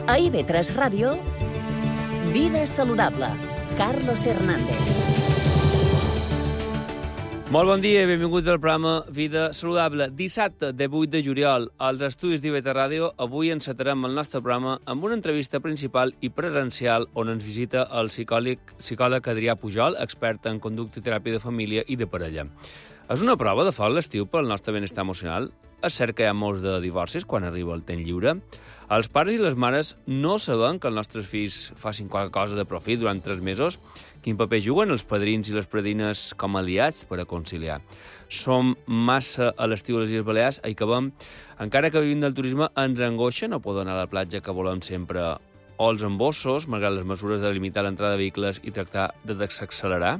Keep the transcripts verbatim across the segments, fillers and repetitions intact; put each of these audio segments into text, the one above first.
A I V tres Ràdio, Vida Saludable, Carlos Hernández. Molt bon dia i benvinguts al programa Vida Saludable. Dissabte, de vuit de juliol, als estudis d'I V tres Ràdio, avui encetarem el nostre programa amb una entrevista principal i presencial on ens visita el psicòleg, psicòleg Adrià Pujol, expert en conducta i teràpia de família i de parella. És una prova de foc l'estiu pel nostre benestar emocional? És cert que hi ha molts de divorcis quan arriba el temps lliure? Els pares i les mares no saben que els nostres fills facin qualque cosa de profit durant tres mesos? Quin paper juguen els padrins i les padrines com a aliats per a conciliar? Som massa a l'estiu a les Illes Balears, hi acabem. Encara que vivim del turisme, ens angoixa no poder anar a la platja que volem sempre, o els embossos, malgrat les mesures de limitar l'entrada de vehicles i tractar de desaccelerar?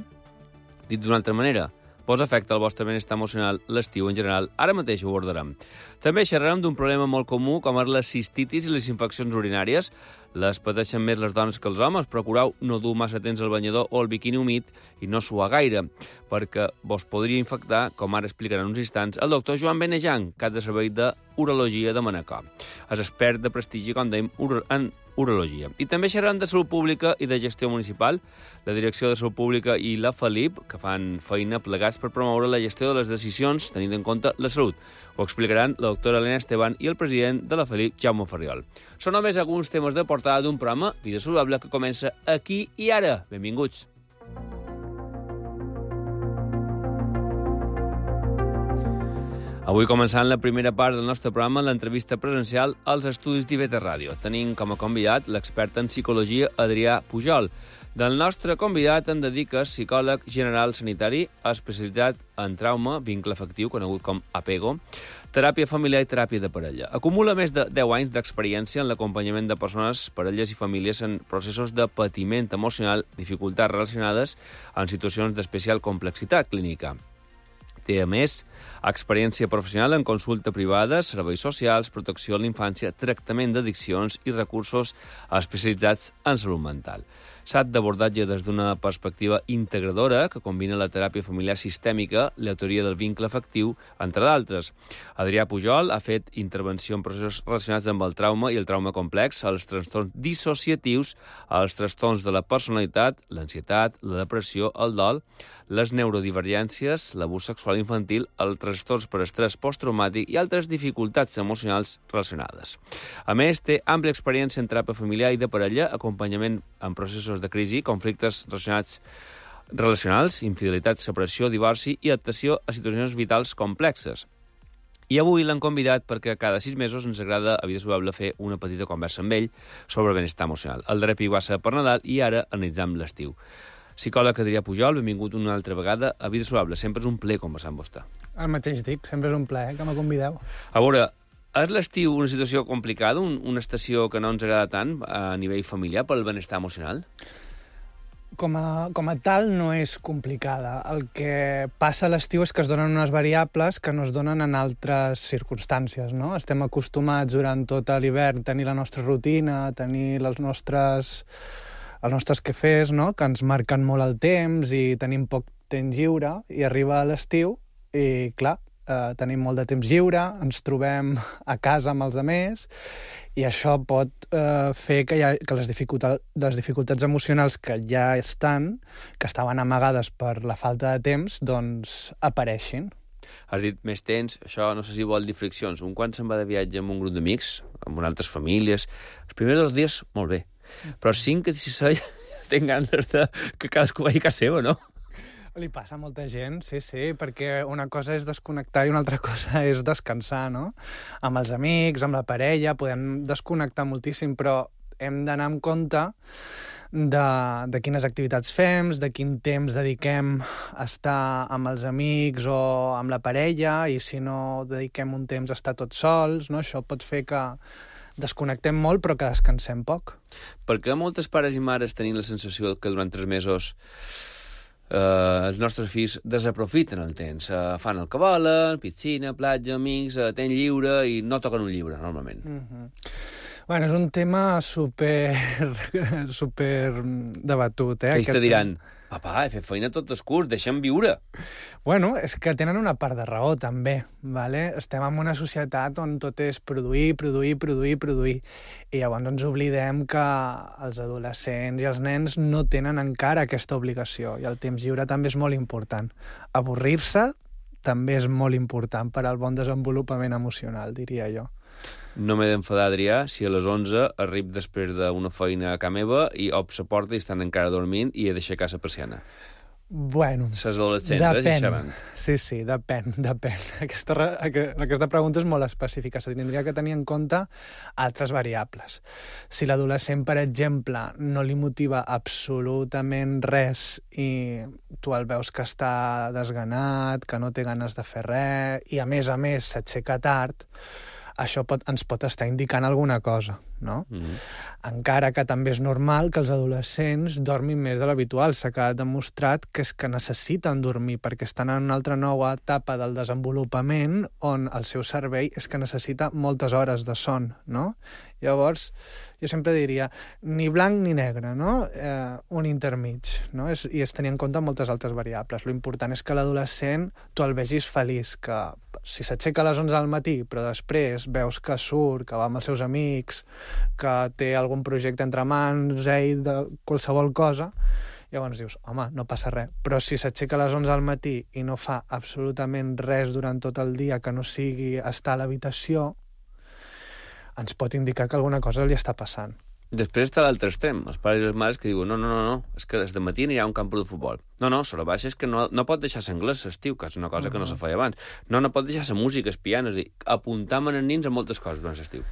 Dit d'una altra manera, vos afecta el vostre benestar emocional l'estiu en general? Ara mateix ho abordarem. També xerrarem d'un problema molt comú com és la cistitis i les infeccions urinàries. Les pateixen més les dones que els homes. Procureu no dur massa temps al banyador o el biquini humit i no suar gaire, perquè vos podria infectar, com ara explicarà en uns instants, el doctor Joan Benejan, cap de servei d'urologia de Manacor. És expert de prestigi, com dèiem, en urologia. I també xerrarem de salut pública i de gestió municipal. La Direcció de Salut Pública i la Felip, que fan feina plegats per promoure la gestió de les decisions, tenint en compte la salut. Ho explicaran la doctora Elena Esteban i el president de la Felip, Jaume Ferriol. Són només alguns temes de portada d'un programa Vida Saludable que comença aquí i ara. Benvinguts. Avui començant la primera part del nostre programa, l'entrevista presencial als estudis d'I V tres Ràdio. Tenim com a convidat l'expert en psicologia Adrià Pujol. Del nostre convidat en dedica psicòleg general sanitari, especialitzat en trauma, vincle afectiu, conegut com apego, teràpia familiar i teràpia de parella. Acumula més de deu anys d'experiència en l'acompanyament de persones, parelles i famílies en processos de patiment emocional, dificultats relacionades en situacions d'especial complexitat clínica. Té, a més, experiència professional en consulta privada, serveis socials, protecció a la infància, tractament d'addiccions i recursos especialitzats en salut mental. Sap d'abordatge des d'una perspectiva integradora que combina la teràpia familiar sistèmica, la teoria del vincle afectiu, entre d'altres. Adrià Pujol ha fet intervenció en processos relacionats amb el trauma i el trauma complex, els trastorns dissociatius, els trastorns de la personalitat, l'ansietat, la depressió, el dol, les neurodivergències, l'abús sexual infantil, els trastorns per estrès posttraumàtic i altres dificultats emocionals relacionades. A més, té àmplia experiència en teràpia familiar i de parella, acompanyament en processos de crisi, conflictes relacionats relacionals, infidelitat, separació, divorci i adaptació a situacions vitals complexes. I avui l'han convidat perquè cada sis mesos ens agrada a Vida Saludable fer una petita conversa amb ell sobre el benestar emocional. El darrer pic va ser per Nadal i ara analitzam l'estiu. Psicòleg Adrià Pujol, benvingut una altra vegada a Vida Saludable. Sempre és un plaer conversar amb vostè. El mateix dic, sempre és un plaer que me convideu. A veure, és l'estiu una situació complicada, un, una estació que no ens agrada tant a nivell familiar pel benestar emocional? Com a, com a tal no és complicada. El que passa a l'estiu és que es donen unes variables que no es donen en altres circumstàncies, no? Estem acostumats durant tot l'hivern a tenir la nostra rutina, a tenir les nostres, els nostres quefers, no? Que ens marquen molt el temps i tenim poc temps lliure, i arriba a l'estiu i, clar, eh, tenim molt de temps lliure, ens trobem a casa amb els altres, i això pot eh, fer que, hi ha, que les, dificultats, les dificultats emocionals que ja estan, que estaven amagades per la falta de temps, doncs apareixin. Has dit més temps, això no sé si vol dir friccions. Un quan se'n va de viatge amb un grup d'amics, amb altres famílies, els primers dos dies, molt bé. Però cinc, sis, set, tinc ganes de que cadascú vagi a casa seva, no? Li passa a molta gent, sí, sí, perquè una cosa és desconnectar i una altra cosa és descansar, no? Amb els amics, amb la parella, podem desconnectar moltíssim, però hem d'anar amb compte de, de quines activitats fem, de quin temps dediquem a estar amb els amics o amb la parella, i si no dediquem un temps a estar tots sols, no? Això pot fer que desconnectem molt però que descansem poc. Perquè moltes pares i mares tenim la sensació que durant tres mesos Uh, els nostres fills desaprofiten el temps, uh, fan el que volen, piscina, platja, amics, uh, temps lliure, i no toquen un llibre, normalment. Mm-hmm. Bueno, és un tema super, super debatut, eh? Què ells te diran? Papa, he fet feina tot el curs, deixa'm viure. Bueno, és que tenen una part de raó, també. Vale? Estem en una societat on tot és produir, produir, produir, produir. I llavors ens oblidem que els adolescents i els nens no tenen encara aquesta obligació. I el temps lliure també és molt important. Avorrir-se també és molt important per al bon desenvolupament emocional, diria jo. No m'he d'enfadar, Adrià, si a les onze arribo després d'una feina a casa meva i obs la porta i estan encara dormint i he d'aixecar la persiana. Bueno, Les adolescents, eh, depèn. xerrant. Sí, sí, depèn, depèn. Aquesta, re- aquesta pregunta és molt específica. Se tindria que tenir en compte altres variables. Si l'adolescent, per exemple, no li motiva absolutament res i tu el veus que està desganat, que no té ganes de fer res i, a més a més, s'aixeca tard, això pot, ens pot estar indicant alguna cosa, no? Mm-hmm. Encara que també és normal que els adolescents dormin més de l'habitual. S'ha quedat demostrat que és que necessiten dormir perquè estan en una altra nova etapa del desenvolupament on el seu cervell és que necessita moltes hores de son, no? Llavors, jo sempre diria, ni blanc ni negre, no? Eh, un intermig, no? És, I es tenir en compte moltes altres variables. Lo important és que l'adolescent tu el vegis feliç, que si s'aixeca a les onze del matí, però després veus que surt, que va amb els seus amics, que té algun projecte entre mans, ell, de qualsevol cosa, llavors dius, home, no passa res. Però si s'aixeca a les onze del matí i no fa absolutament res durant tot el dia que no sigui estar a l'habitació, ens pot indicar que alguna cosa li està passant. Després està l'altre extrem, els pares i les mares que diuen no, no, no, no, és que des de matí anirà a un camp de futbol. No, no, sobre baixa és que no, no pot deixar l'anglès l'estiu, que és una cosa uh -huh. que no se feia abans. No, no pot deixar la música, el piano, és a dir, apuntar amb els nins a moltes coses durant l'estiu.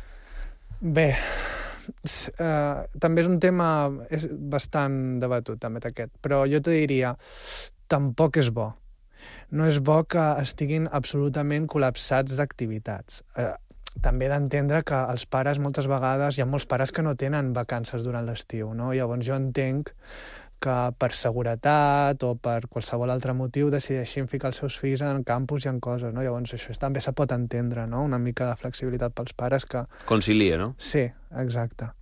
Bé, uh, també és un tema és bastant debatut, també aquest, però jo te diria, tampoc és bo. No és bo que estiguin absolutament col·lapsats d'activitats. Uh, també he d'entendre que els pares moltes vegades, hi ha molts pares que no tenen vacances durant l'estiu, no? Llavors jo entenc que per seguretat o per qualsevol altre motiu decideixin ficar els seus fills en campus i en coses, no? Llavors això també se pot entendre, no? Una mica de flexibilitat pels pares que... Concilia, no? Sí, exacte.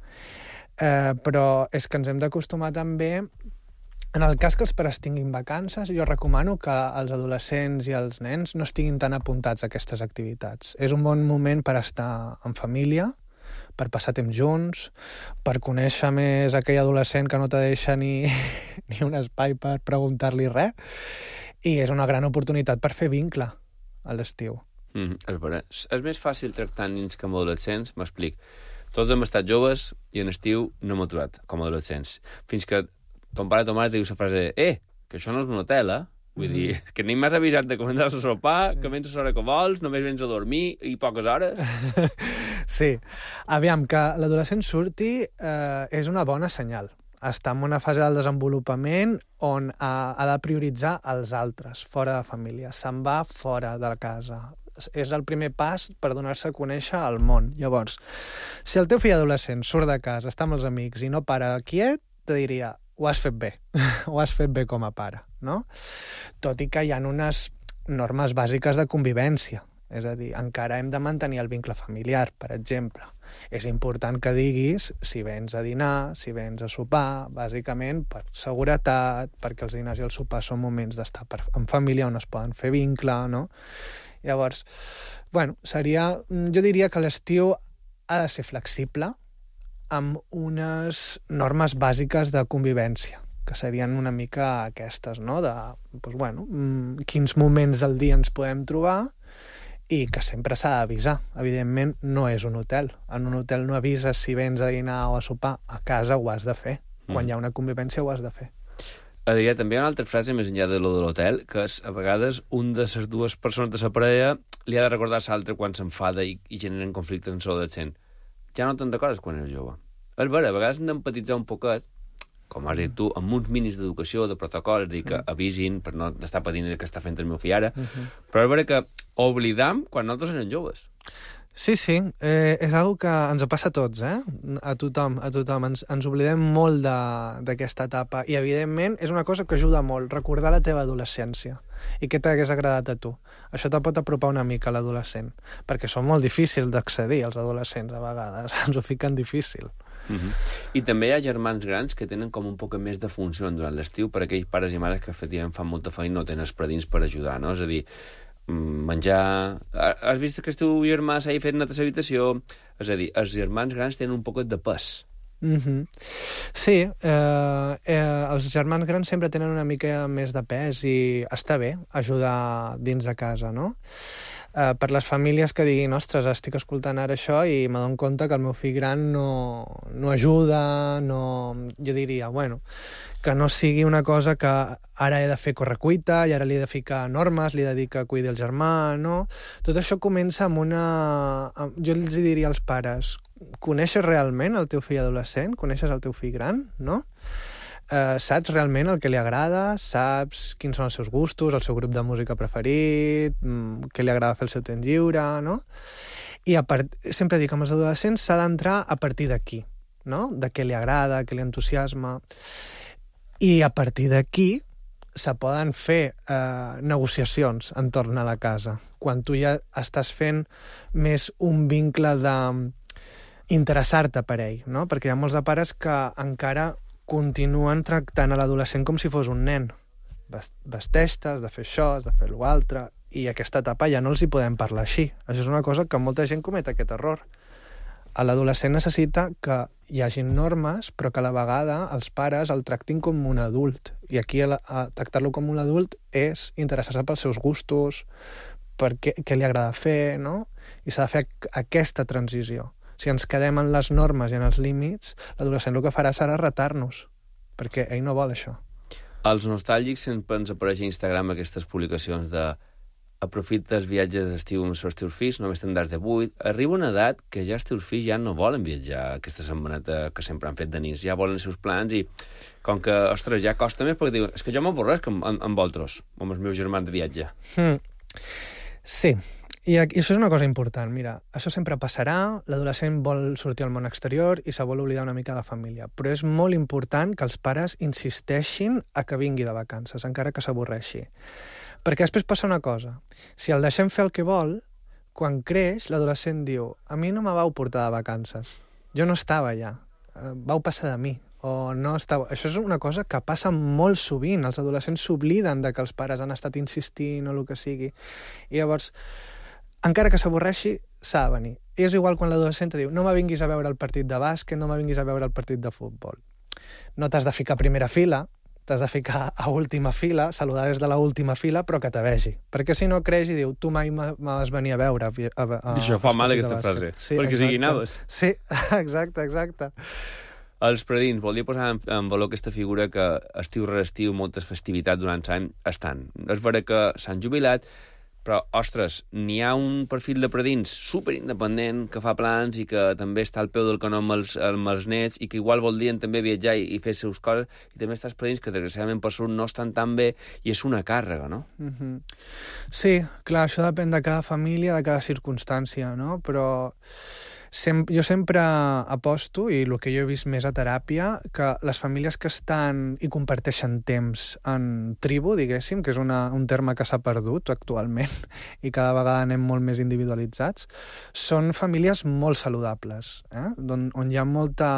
Eh, però és que ens hem d'acostumar també... En el cas que els pares tinguin vacances, jo recomano que els adolescents i els nens no estiguin tan apuntats a aquestes activitats. És un bon moment per estar en família, per passar temps junts, per conèixer més aquell adolescent que no te deixa ni, ni un espai per preguntar-li res, i és una gran oportunitat per fer vincle a l'estiu. Mm, és vera. És més fàcil tractar nens que amb adolescents, m'explic. Tots hem estat joves i en estiu no hem aturat, com a adolescents. Fins que ton pare o ton mare te diu la frase de eh, que això no és un hotel, eh? Vull mm. dir, que ni m'has avisat de començar a sopar, que vens a l'hora que vols, només vens a dormir i poques hores. Sí. Aviam, que l'adolescent surti eh, és una bona senyal. Està en una fase del desenvolupament on ha, ha de prioritzar els altres, fora de família. Se'n va fora de casa. És el primer pas per donar-se a conèixer al món. Llavors, si el teu fill adolescent surt de casa, està amb els amics i no para quiet, te diria, ho has fet bé, ho has fet bé com a pare, no? Tot i que hi ha unes normes bàsiques de convivència. És a dir, encara hem de mantenir el vincle familiar, per exemple. És important que diguis si vens a dinar, si vens a sopar, bàsicament per seguretat, perquè els dinars i els sopars són moments d'estar en família on es poden fer vincle, no? Llavors, bueno, seria... Jo diria que l'estiu ha de ser flexible amb unes normes bàsiques de convivència, que serien una mica aquestes, no? De, doncs, bueno, quins moments del dia ens podem trobar i que sempre s'ha d'avisar. Evidentment, no és un hotel. En un hotel no avises si vens a dinar o a sopar. A casa ho has de fer. Quan mm. hi ha una convivència ho has de fer. Adrià, també hi ha una altra frase més enllà de lo de l'hotel, que és, a vegades un de les dues persones de la parella li ha de recordar a l'altre quan s'enfada i, i generen conflictes en l'adolescent. Ja no te'n recordes quan eres jove. És vera, a vegades hem d'empatitzar un poquet, com has dit tu, amb uns mínims d'educació, de protocol, és a dir, que avisin per no estar patint el que està fent el meu fill ara, uh-huh. però és vera que oblidam quan nosaltres érem joves. Sí, sí, eh, és una que ens passa a tots, eh? A tothom, a tothom. Ens, ens oblidem molt d'aquesta etapa i, evidentment, és una cosa que ajuda molt, recordar la teva adolescència i què t'hagués agradat a tu. Això te pot apropar una mica a l'adolescent, perquè són molt difícils d'accedir als adolescents, a vegades. Ens ho fiquen difícil. Uh-huh. I també hi ha germans grans que tenen com un poc més de funció durant l'estiu per a aquells pares i mares que efectivament fan molta feina i no tenen els predins per ajudar, no? És a dir, menjar... Has vist que el teu germà s'ha fet net a l'habitació? És a dir, els germans grans tenen un poquet de pes. Mm-hmm. Sí, eh, eh, els germans grans sempre tenen una mica més de pes i està bé ajudar dins de casa, no? Eh, per les famílies que diguin, ostres, estic escoltant ara això i m'adono compte que el meu fill gran no, no ajuda, no... Jo diria, bueno, que no sigui una cosa que ara he de fer correcuita i ara li he de ficar normes, li he de dir que cuidi el germà, no? Tot això comença amb una... Jo els diria als pares, coneixes realment el teu fill adolescent? Coneixes el teu fill gran, no? Eh, saps realment el que li agrada? Saps quins són els seus gustos, el seu grup de música preferit, què li agrada fer el seu temps lliure, no? I a part... sempre dic que amb els adolescents s'ha d'entrar a partir d'aquí, no? De què li agrada, què li entusiasma... I a partir d'aquí se poden fer eh, negociacions entorn a la casa. Quan tu ja estàs fent més un vincle d'interessar-te per ell, no? Perquè hi ha molts de pares que encara continuen tractant a l'adolescent com si fos un nen. Vesteix-te, has de fer això, has de fer l'altre, i aquesta etapa ja no els hi podem parlar així. Això és una cosa que molta gent comet aquest error. A l'adolescent necessita que hi hagin normes, però que a la vegada els pares el tractin com un adult. I aquí a, a tractar-lo com un adult és interessar-se pels seus gustos, per què, què li agrada fer, no? I s'ha de fer aquesta transició. Si ens quedem en les normes i en els límits, l'adolescent el que farà serà retar-nos, perquè ell no vol això. Els nostàlgics sempre ens apareix a Instagram aquestes publicacions de aprofita els viatges d'estiu amb els teus fills, només tindràs de vuit. Arriba una edat que ja els teus fills ja no volen viatjar aquesta setmaneta que sempre han fet de nits, ja volen els seus plans i com que, ostres, ja costa més perquè diuen, és que jo m'avorresc amb, amb, amb vosaltres, amb els meus germans de viatge. Mm. Sí, i, aquí, i això és una cosa important. Mira, això sempre passarà, l'adolescent vol sortir al món exterior i se vol oblidar una mica de la família, però és molt important que els pares insisteixin a que vingui de vacances, encara que s'avorreixi. Perquè després passa una cosa. Si el deixem fer el que vol, quan creix, l'adolescent diu a mi no me vau portar de vacances. Jo no estava allà. Vau passar de mi. O no estava... Això és una cosa que passa molt sovint. Els adolescents s'obliden de que els pares han estat insistint o el que sigui. I llavors, encara que s'avorreixi, s'ha de venir. I és igual quan l'adolescent diu no me vinguis a veure el partit de bàsquet, no me vinguis a veure el partit de futbol. No t'has de ficar a primera fila, t'has de ficar a última fila, saludar des de la última fila, però que te vegi. Perquè si no creix i diu, tu mai m'has venir a veure. A, a, a, Això fa mal, aquesta frase. Sí, perquè sigui naves. Sí, exacte, exacte. Els predins, voldria posar en, en valor aquesta figura que estiu rere estiu, moltes festivitats durant l'any estan. És vera que s'han jubilat, però, ostres, n'hi ha un perfil de predins superindependent que fa plans i que també està al peu del canó amb els, amb els nets i que igual voldrien també viatjar i, i fer les seus coses, i també està els predins que desgraciadament per salut no estan tan bé i és una càrrega, no? Mm-hmm. Sí, clar, això depèn de cada família, de cada circumstància, no? Però sem jo sempre aposto, i el que jo he vist més a teràpia, que les famílies que estan i comparteixen temps en tribu, diguéssim, que és una, un terme que s'ha perdut actualment i cada vegada anem molt més individualitzats, són famílies molt saludables, eh? on, on hi ha molta,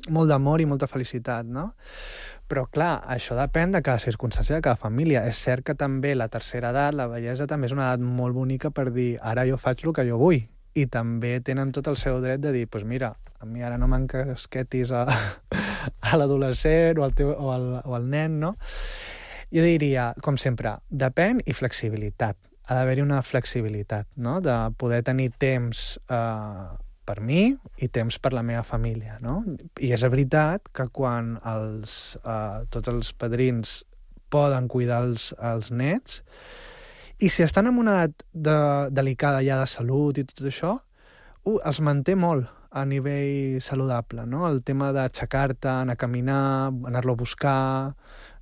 molt d'amor i molta felicitat, no? Però, clar, això depèn de cada circumstància de cada família. És cert que també la tercera edat, la vellesa, també és una edat molt bonica per dir ara jo faig el que jo vull. I també tenen tot el seu dret de dir pues mira, a mi ara no m'encasquetis a, a l'adolescent o, al teu, o, al, o al nen, no? Jo diria, com sempre, depèn i flexibilitat. Ha d'haver-hi una flexibilitat, no? De poder tenir temps eh, per mi i temps per la meva família, no? I és veritat que quan els, eh, tots els padrins poden cuidar els, els nets, i si estan en una edat de, delicada ja de salut i tot això, uh, els manté molt a nivell saludable, no? El tema d'aixecar-te, anar a caminar, anar-lo a buscar,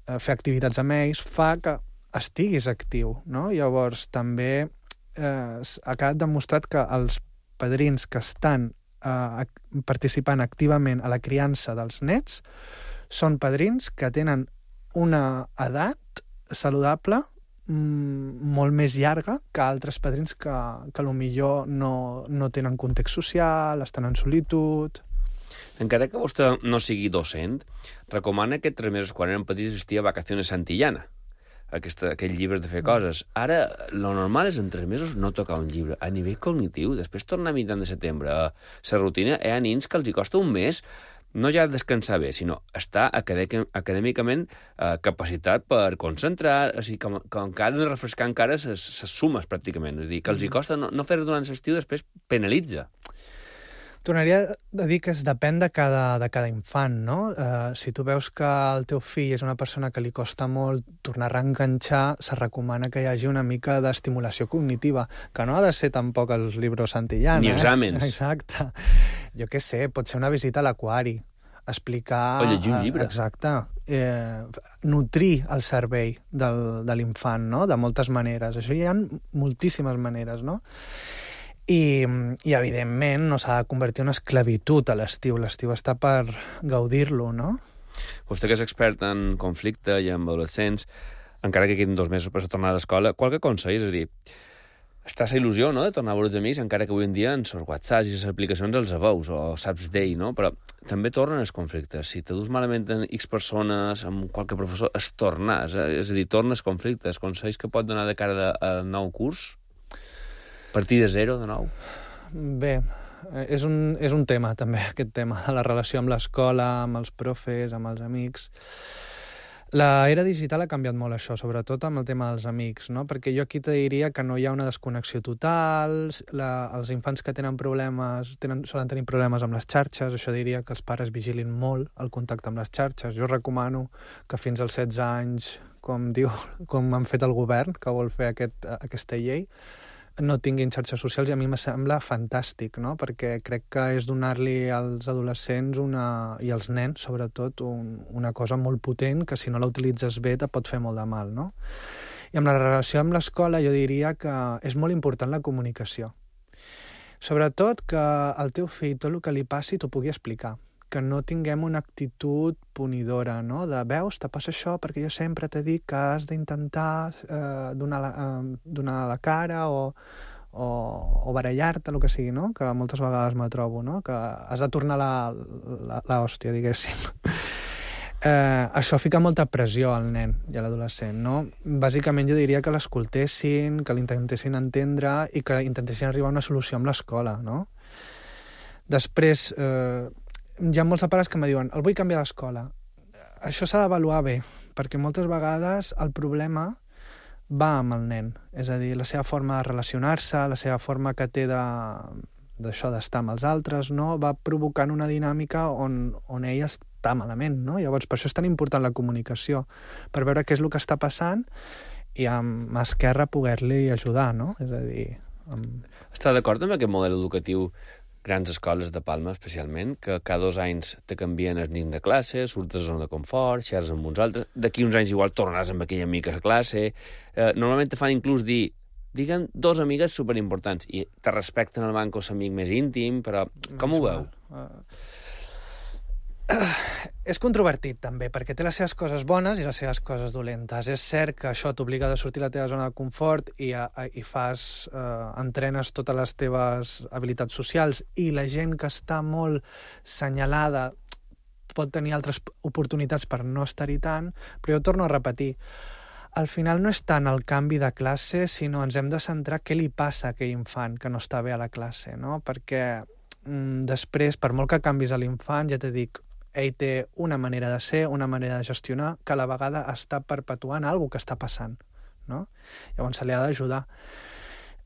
eh, fer activitats amb ells, fa que estiguis actiu, no? Llavors, també eh, ha quedat demostrat que els padrins que estan eh, participant activament a la criança dels nets són padrins que tenen una edat saludable molt més llarga que altres padrins que, que potser no, no tenen context social, estan en solitud. Encara que vostè no sigui docent, recomana que tres mesos quan eren petits assistia a Vacaciones Santillana, aquesta, aquell llibre de fer coses. Ara, lo normal és en tres mesos no tocar un llibre. A nivell cognitiu, després tornar a mitjan de setembre a la rutina, hi ha nins que els hi costa un mes no ja descansar bé, sinó estar acadèmicament eh, capacitat per concentrar, o sigui, que, que encara de refrescar encara ses, ses sumes, pràcticament. És a dir, que els hi costa no, no fer-ho durant l'estiu, després penalitza. Tornaria a dir que es depèn de cada, de cada infant, no? Uh, si tu veus que el teu fill és una persona que li costa molt tornar a reenganxar, se recomana que hi hagi una mica d'estimulació cognitiva, que no ha de ser tampoc els llibres Santillana. Ni exàmens. Eh? Exacte. Jo què sé, pot ser una visita a l'aquari, explicar... O llegir un llibre. Exacte. Eh, nutrir el cervell del, de l'infant, no? De moltes maneres. Això hi ha moltíssimes maneres, no? I, i evidentment, no s'ha de convertir en una esclavitud a l'estiu. L'estiu està per gaudir-lo, no? Vostè que és expert en conflicte i en adolescents, encara que quedin dos mesos per tornar a l'escola, qualque consell, és a dir, està la il·lusió, no?, de tornar a veure els amics, encara que avui en dia en els WhatsApp i les aplicacions els veus, o saps d'ell, no? Però també tornen els conflictes. Si te dus malament en X persones, amb qualque professor, es torna, és a dir, tornes conflictes. Consells que pot donar de cara al nou curs? Partir de zero, de nou? Bé, és un, és un tema, també, aquest tema, de la relació amb l'escola, amb els profes, amb els amics. L'era digital ha canviat molt això, sobretot amb el tema dels amics, no? Perquè jo aquí te diria que no hi ha una desconnexió total, la, els infants que tenen problemes, tenen, solen tenir problemes amb les xarxes, això diria que els pares vigilin molt el contacte amb les xarxes. Jo recomano que fins als setze anys, com diu, com han fet el govern, que vol fer aquest, aquesta llei, no tinguin xarxes socials, i a mi me sembla fantàstic, no? Perquè crec que és donar-li als adolescents una, i als nens, sobretot, un, una cosa molt potent que si no la utilitzes bé te pot fer molt de mal, no? I amb la relació amb l'escola jo diria que és molt important la comunicació. Sobretot que el teu fill, tot el que li passi, t'ho pugui explicar. Que no tinguem una actitud punidora, no? De, veus, te passa això perquè jo sempre t'he dit que has d'intentar eh, donar, la, eh, donar la cara o, o, o barallar-te, el que sigui, no? Que moltes vegades me trobo, no? Que has de tornar la, la, la hòstia, diguéssim. Eh, això fica molta pressió al nen i a l'adolescent, no? Bàsicament jo diria que l'escoltessin, que l'intentessin entendre i que intentessin arribar a una solució amb l'escola, no? Després... Eh, hi ha molts pares que em diuen el vull canviar d'escola. Això s'ha d'avaluar bé, perquè moltes vegades el problema va amb el nen. És a dir, la seva forma de relacionar-se, la seva forma que té de, d'això d'estar amb els altres, no? Va provocant una dinàmica on, on ell està malament, no? Llavors, per això és tan important la comunicació, per veure què és el que està passant i amb mà esquerra poder-li ajudar, no? És a dir... Amb... Està d'acord amb aquest model educatiu, grans escoles de Palma especialment, que cada dos anys te canvien el nin de classe, surts de zona de confort, xerres amb uns altres, d'aquí uns anys igual tornaràs amb aquella amiga a classe, eh, normalment te fan inclús dir, diguen dos amigues superimportants, i te respecten el banc o l'amic més íntim, però com ho veu? Uh, uh, és controvertit també, perquè té les seves coses bones i les seves coses dolentes. És cert que això t'obliga a sortir de la teva zona de confort i, a, a, i fas, eh, entrenes totes les teves habilitats socials, i la gent que està molt senyalada pot tenir altres oportunitats per no estar-hi tant, però jo torno a repetir, al final no és tant el canvi de classe, sinó ens hem de centrar què li passa a aquell infant que no està bé a la classe, no? Perquè mm, després, per molt que canvis a l'infant, ja t'he dit, ell té una manera de ser, una manera de gestionar, que a la vegada està perpetuant alguna que està passant, no? Llavors se li ha d'ajudar.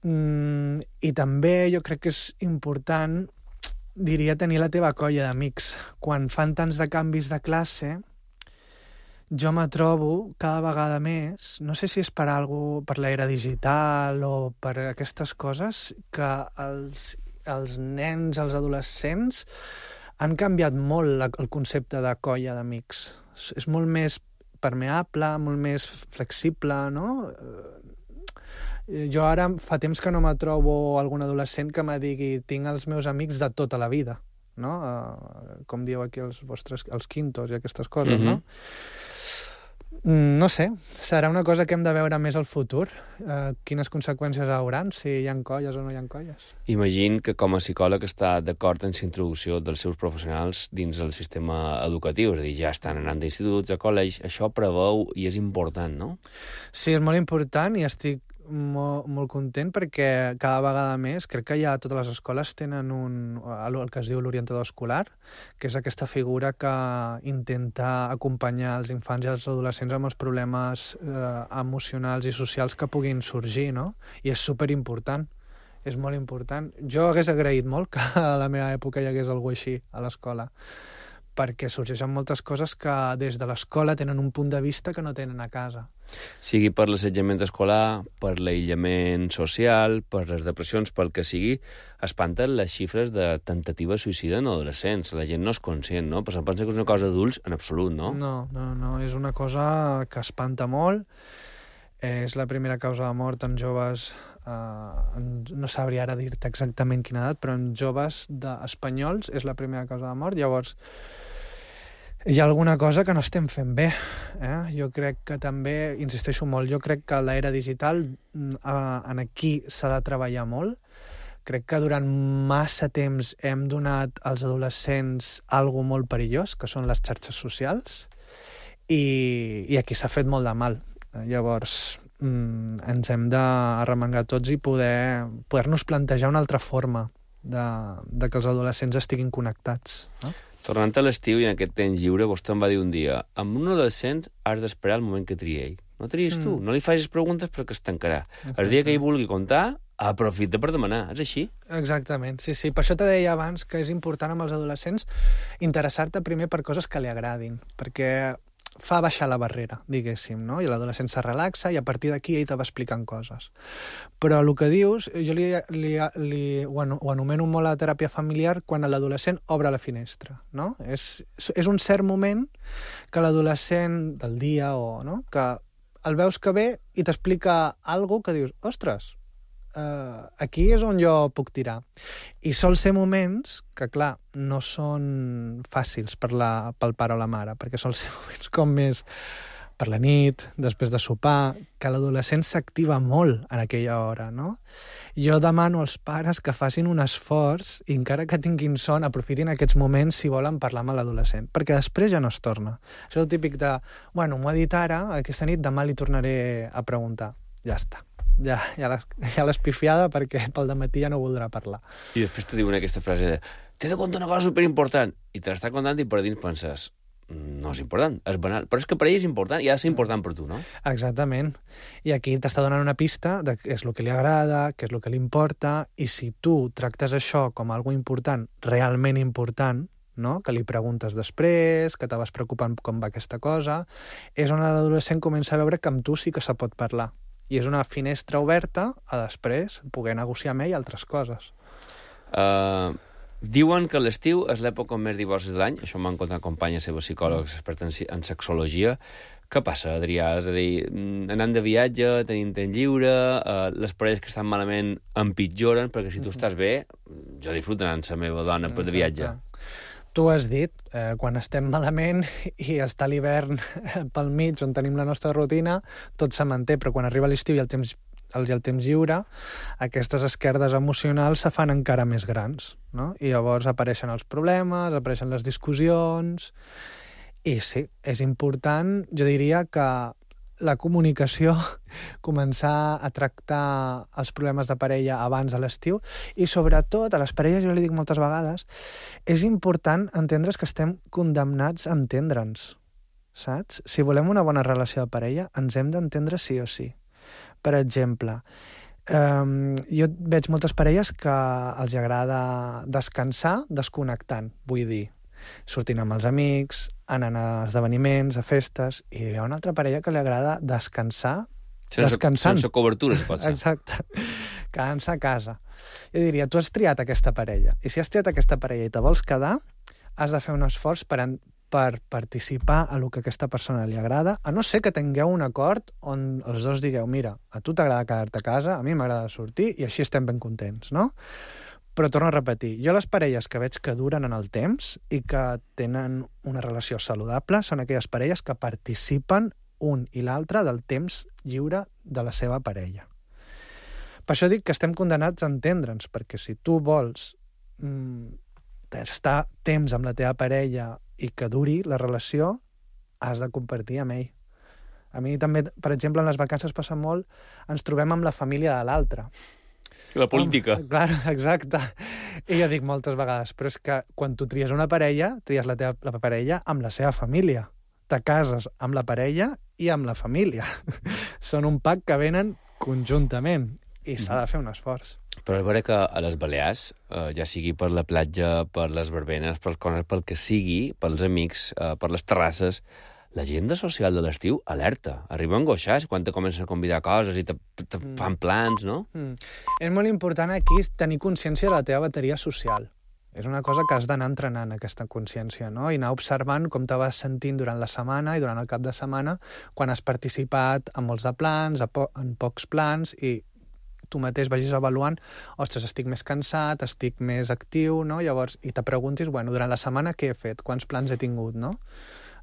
Mm, I també jo crec que és important, diria, tenir la teva colla d'amics. Quan fan tants de canvis de classe, jo me trobo cada vegada més, no sé si és per algo, per l'era digital o per aquestes coses, que els, els nens, els adolescents, han canviat molt la, el concepte de colla d'amics. És molt més permeable, molt més flexible, no? Jo ara fa temps que no me trobo algun adolescent que me digui tinc els meus amics de tota la vida, no? Uh, com diu aquí els vostres, els quintos i aquestes coses, mm-hmm. no? No sé, serà una cosa que hem de veure més al futur. Uh, quines conseqüències hauran, si hi ha colles o no hi ha colles. Imagino que com a psicòleg està d'acord en la introducció dels seus professionals dins el sistema educatiu, és a dir, ja estan anant d'instituts, a col·legis, això preveu i és important, no? Sí, és molt important i estic molt, molt content perquè cada vegada més, crec que ja totes les escoles tenen un, el que es diu l'orientador escolar, que és aquesta figura que intenta acompanyar els infants i els adolescents amb els problemes eh, emocionals i socials que puguin sorgir, no? I és superimportant, és molt important. Jo hagués agraït molt que a la meva època hi hagués alguna així a l'escola, perquè sorgeixen moltes coses que des de l'escola tenen un punt de vista que no tenen a casa. Sigui per l'assetjament escolar, per l'aïllament social, per les depressions, pel que sigui, espanten les xifres de tentativa suïcida en adolescents. La gent no és conscient, no? Però se'n pensa que és una cosa d'adults en absolut, no? No, no, no, és una cosa que espanta molt. És la primera causa de mort en joves, eh, no sabria ara dir-te exactament quina edat, però en joves de espanyols és la primera causa de mort. Llavors, hi ha alguna cosa que no estem fent bé. Eh? Jo crec que també, insisteixo molt, jo crec que l'era digital eh, en aquí s'ha de treballar molt. Crec que durant massa temps hem donat als adolescents algo molt perillós, que són les xarxes socials, i, i aquí s'ha fet molt de mal. Llavors, mm, ens hem d'arremangar tots i poder, poder-nos plantejar una altra forma de, de que els adolescents estiguin connectats. No? Tornant a l'estiu i en aquest temps lliure, vostè em va dir un dia, amb un adolescent has d'esperar el moment que trie ell. No tries mm. tu, no li facis preguntes perquè es tancarà. Exacte. El dia que ell vulgui contar, aprofita per demanar. És així? Exactament, sí, sí. Per això te deia abans que és important amb els adolescents interessar-te primer per coses que li agradin, perquè fa baixar la barrera, diguéssim, no? I l'adolescent se relaxa i a partir d'aquí ell te va explicant coses. Però el que dius, jo li, li, li, ho, ho anomeno molt a teràpia familiar quan l'adolescent obre la finestra, no? És, és un cert moment que l'adolescent del dia o, no? Que el veus que ve i t'explica alguna que dius, ostres, Uh, aquí és on jo puc tirar. I sol ser moments que, clar, no són fàcils per la, pel pare o la mare, perquè sol ser moments com més per la nit, després de sopar, que l'adolescent s'activa molt en aquella hora, no? Jo demano als pares que facin un esforç i encara que tinguin son, aprofitin aquests moments si volen parlar amb l'adolescent, perquè després ja no es torna. Això és el típic de, bueno, m'ho ha dit ara, aquesta nit, demà li tornaré a preguntar. Ja està. Ja, ja l'has pifiada perquè pel dematí ja no voldrà parlar. I després te diuen aquesta frase de t'he de contar una cosa superimportant i te l'està contant i per dins penses no és important, és banal, però és que per ell és important i ha de ser important per tu, no? Exactament. I aquí t'està donant una pista de què és el que li agrada, què és el que li importa, i si tu tractes això com algo important, realment important, no? Que li preguntes després, que te vas preocupant com va aquesta cosa, és on l'adolescent comença a veure que amb tu sí que se pot parlar. I és una finestra oberta a després poder negociar amb ell altres coses. Uh, diuen que l'estiu és l'època amb més divorcis de l'any. Això m'han contat companyes seves psicòlogs experts en, en sexologia. Què passa, Adrià? És a dir, anant de viatge, tenint temps lliure, uh, les parelles que estan malament empitjoren, perquè si tu estàs bé, jo disfruto anant amb la meva dona per de viatge. Tu has dit, eh, quan estem malament i està l'hivern pel mig on tenim la nostra rutina, tot se manté, però quan arriba l'estiu i el temps, el, el temps lliure, aquestes esquerdes emocionals se fan encara més grans, no? I llavors apareixen els problemes, apareixen les discussions, i sí, és important, jo diria que la comunicació, començar a tractar els problemes de parella abans de l'estiu i sobretot a les parelles, jo li dic moltes vegades, és important entendre's que estem condemnats a entendre'ns, saps? Si volem una bona relació de parella, ens hem d'entendre sí o sí. Per exemple, eh, jo veig moltes parelles que els agrada descansar desconnectant, vull dir, sortint amb els amics, anant a esdeveniments, a festes, i hi ha una altra parella que li agrada descansar sense, descansant. Sense cobertura, si pot ser. Exacte. Quedant-se a casa. Jo diria, tu has triat aquesta parella, i si has triat aquesta parella i te vols quedar, has de fer un esforç per, en, per participar a lo que aquesta persona li agrada, a no ser que tingueu un acord on els dos digueu, mira, a tu t'agrada quedar-te a casa, a mi m'agrada sortir, i així estem ben contents, no? Però torno a repetir, jo les parelles que veig que duren en el temps i que tenen una relació saludable són aquelles parelles que participen un i l'altre del temps lliure de la seva parella. Per això dic que estem condenats a entendre'ns, perquè si tu vols mm, estar temps amb la teva parella i que duri la relació, has de compartir amb ell. A mi també, per exemple, en les vacances passa molt, ens trobem amb la família de l'altre. La política. Um, clar, exacte. I jo dic moltes vegades, però és que quan tu tries una parella, tries la teva la parella amb la seva família. Te cases amb la parella i amb la família. Són un pack que venen conjuntament i s'ha de fer un esforç. Però és vera que a les Balears, eh, ja sigui per la platja, per les verbenes, per cones, pel que sigui, pels amics, eh, per les terrasses, l'agenda social de l'estiu alerta. Arriba a angoixar quan te comencen a convidar coses i te, te mm. fan plans, no? Mm. És molt important aquí tenir consciència de la teva bateria social. És una cosa que has d'anar entrenant, aquesta consciència, no? I anar observant com te vas sentint durant la setmana i durant el cap de setmana quan has participat en molts de plans, en pocs plans, i tu mateix vagis avaluant, ostres, estic més cansat, estic més actiu, no? Llavors, i te preguntis, bueno, durant la setmana què he fet? Quants plans he tingut, no?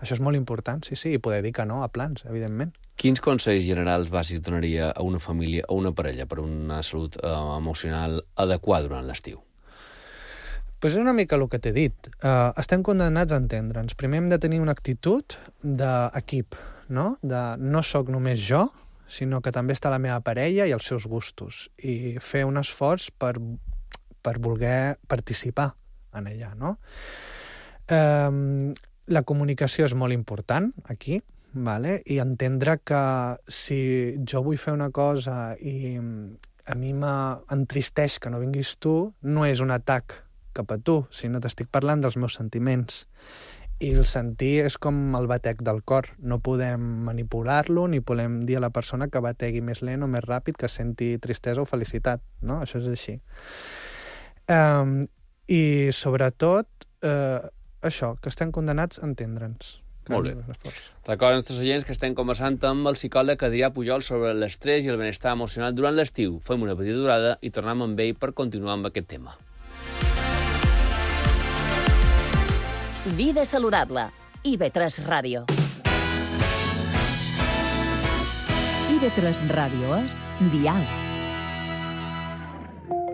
Això és molt important, sí, sí, i poder dir que no a plans, evidentment. Quins consells generals bàsics donaria a una família o una parella per una salut eh, emocional adequada durant l'estiu? Pues és una mica el que t'he dit. Uh, estem condemnats a entendre'ns. Primer hem de tenir una actitud d'equip, no? De no sóc només jo, sinó que també està la meva parella i els seus gustos, i fer un esforç per, per voler participar en ella, no? Um, la comunicació és molt important aquí, vale? I entendre que si jo vull fer una cosa i a mi m'entristeix que no vinguis tu, no és un atac cap a tu, sinó t'estic parlant dels meus sentiments. I el sentir és com el batec del cor. No podem manipular-lo ni podem dir a la persona que bategui més lent o més ràpid, que senti tristesa o felicitat, no? Això és així. Um, I sobretot, uh, això, que estem condenats a entendre'ns. Molt bé. Recorda als nostres oients que estem conversant amb el psicòleg Adrià Pujol sobre l'estrès i el benestar emocional durant l'estiu. Fem una petita durada i tornem amb ell per continuar amb aquest tema. Vida saludable. I ve tres Ràdio. I ve tres Ràdio és Dial.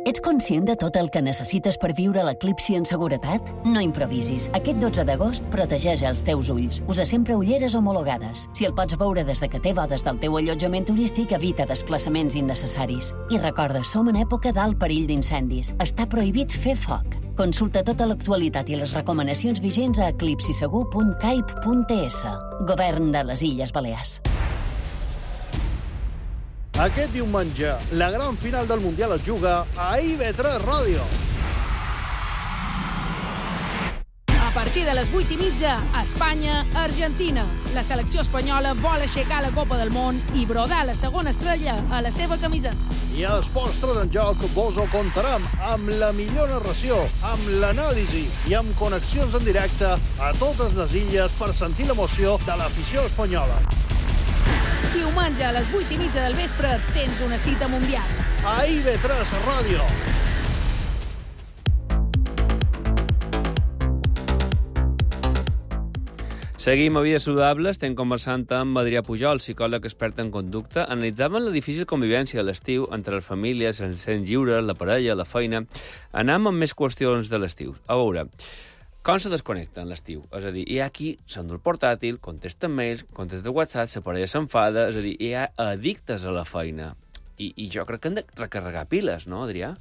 Ets conscient de tot el que necessites per viure l'eclipsi en seguretat? No improvisis. Aquest dotze d'agost protegeix els teus ulls. Usa sempre ulleres homologades. Si el pots veure des de que té bodes del teu allotjament turístic, evita desplaçaments innecessaris. I recorda, som en època d'alt perill d'incendis. Està prohibit fer foc. Consulta tota l'actualitat i les recomanacions vigents a eclipsisegur punt caip punt es. Govern de les Illes Balears. Aquest diumenge, la gran final del Mundial es juga a I ve tres Ràdio. A partir de les vuit i mitja, Espanya-Argentina. La selecció espanyola vol aixecar la Copa del Món i brodar la segona estrella a la seva camiseta. I a Esports tres en Joc vos ho contarem amb la millor narració, amb l'anàlisi i amb connexions en directe a totes les illes per sentir l'emoció de l'afició espanyola. Diumenge a les vuit i mitja del vespre tens una cita mundial. A I ve tres Ràdio. Seguim a Vida Saludable, estem conversant amb Adrià Pujol, psicòleg expert en conducta. Analitzaven la difícil convivència a l'estiu entre les famílies, els temps lliures, la parella, la feina. Anem amb més qüestions de l'estiu. A veure, com se desconnecta en l'estiu? És a dir, hi ha qui s'endú el portàtil, contesta mails, contesta WhatsApp, la parella s'enfada, és a dir, hi ha addictes a la feina. I, I jo crec que han de recarregar piles, no, Adrià?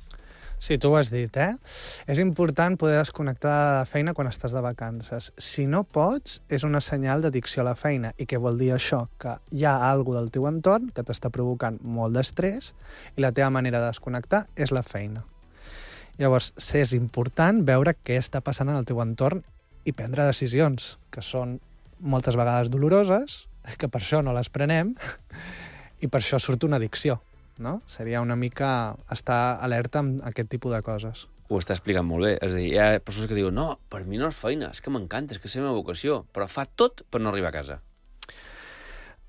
Sí, tu ho has dit, eh? És important poder desconnectar de la feina quan estàs de vacances. Si no pots, és una senyal d'addicció a la feina. I què vol dir això? Que hi ha alguna del teu entorn que t'està provocant molt d'estrès i la teva manera de desconnectar és la feina. Llavors, és important veure què està passant en el teu entorn i prendre decisions, que són moltes vegades doloroses, que per això no les prenem, i per això surt una addicció. No? Seria una mica estar alerta amb aquest tipus de coses. Ho està explicant molt bé. És a dir, hi ha persones que diuen no, per mi no és feina, és que m'encanta, és que és la meva vocació, però fa tot per no arribar a casa.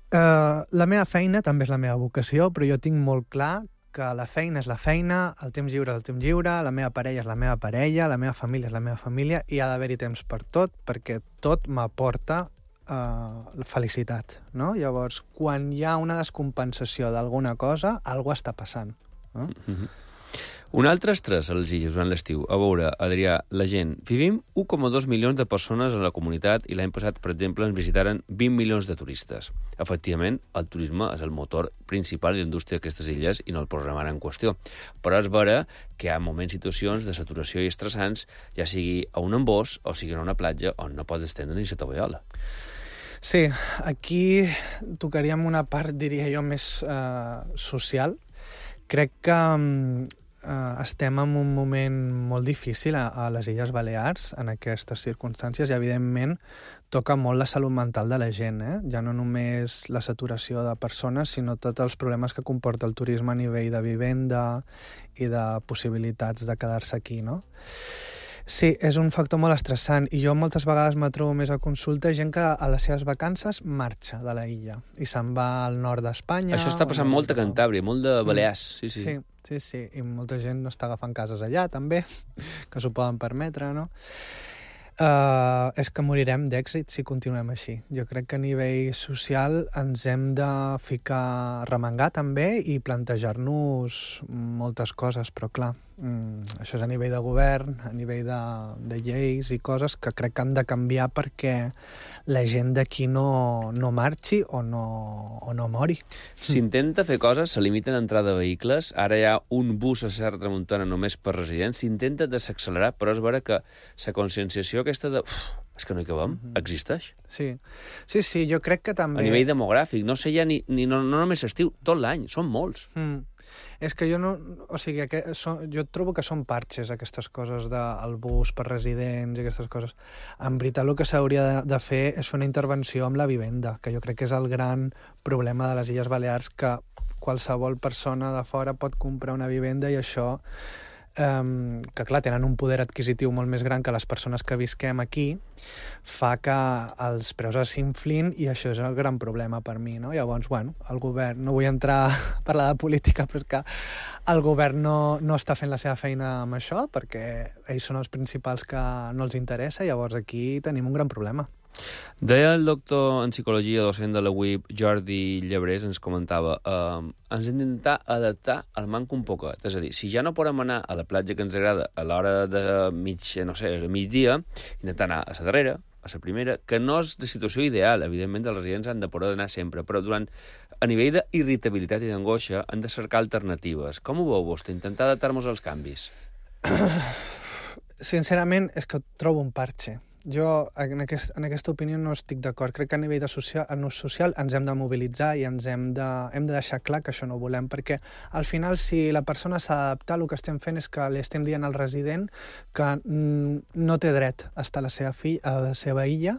Uh, la meva feina també és la meva vocació, però jo tinc molt clar que la feina és la feina, el temps lliure és el temps lliure, la meva parella és la meva parella, la meva família és la meva família, i ha d'haver-hi temps per tot, perquè tot m'aporta uh, felicitat, no? Llavors, quan hi ha una descompensació d'alguna cosa, alguna està passant. No? Mm-hmm. Un altre estrès a les illes durant l'estiu. A veure, Adrià, la gent... Vivim un coma dos milions de persones a la comunitat i l'any passat, per exemple, ens visitaren vint milions de turistes. Efectivament, el turisme és el motor principal de l'indústria d'aquestes illes i no el posarem ara en qüestió. Però és vera que hi ha moments, situacions de saturació i estressants, ja sigui a un embòs o sigui a una platja on no pots estendre ni la tovallola. Sí, aquí tocaríem una part, diria jo, més eh, social. Crec que Uh, estem en un moment molt difícil a, a les Illes Balears en aquestes circumstàncies i, evidentment, toca molt la salut mental de la gent, eh? Ja no només la saturació de persones, sinó tots els problemes que comporta el turisme a nivell de vivenda i de possibilitats de quedar-se aquí, no? Sí, és un factor molt estressant i jo moltes vegades me trobo més a consulta gent que a les seves vacances marxa de la illa i se'n va al nord d'Espanya. Això està passant molt a Cantàbria, molt de Balears. Sí, sí. sí, sí, sí, i molta gent no està agafant cases allà també, que s'ho poden permetre, no? Uh, és que morirem d'èxit si continuem així. Jo crec que a nivell social ens hem de ficar, remengar també i plantejar-nos moltes coses, però clar, mm, això és a nivell de govern, a nivell de, de lleis i coses que crec que han de canviar perquè la gent d'aquí no, no marxi o no, o no mori. S'intenta fer coses, se limiten d'entrada de vehicles, ara hi ha un bus a Serra Tramuntana només per residents, s'intenta desaccelerar, però és vera que la conscienciació aquesta de... Uf, és que no hi cabem, mm-hmm. existeix. Sí. sí, sí, jo crec que també... A nivell demogràfic, no sé ja ni, ni no, no només estiu, tot l'any, són molts. Mm. És que jo no... O sigui, que són, jo trobo que són parxes, aquestes coses del bus per residents i aquestes coses. En veritat, el que s'hauria de, de fer és fer una intervenció amb la vivenda, que jo crec que és el gran problema de les Illes Balears, que qualsevol persona de fora pot comprar una vivenda i això... Um, que clar, tenen un poder adquisitiu molt més gran que les persones que visquem aquí, fa que els preus s'inflin i això és el gran problema per mi, no? Llavors, bueno, el govern, no vull entrar a parlar de política, però és que el govern no, no està fent la seva feina amb això perquè ells són els principals que no els interessa, llavors aquí tenim un gran problema. Deia el doctor en psicologia, docent de la U I P, Jordi Llebrés, ens comentava eh, ens hem d'intentar adaptar al manco un poquet. És a dir, si ja no podem anar a la platja que ens agrada a l'hora de mig, no sé, migdia, intentar anar a la darrera, a la primera, que no és la situació ideal. Evidentment, els residents han de poder anar sempre, però durant, a nivell d'irritabilitat i d'angoixa han de cercar alternatives. Com ho veu vostè? Intentar adaptar-nos als canvis? Sincerament, és que trobo un parxe. Jo, en, aquest, en aquesta opinió, no estic d'acord. Crec que a nivell de social, en ús social ens hem de mobilitzar i ens hem de, hem de deixar clar que això no ho volem, perquè al final, si la persona s'ha d'adaptar, el que estem fent és que li estem dient al resident que no té dret a estar a la seva, fi, a la seva illa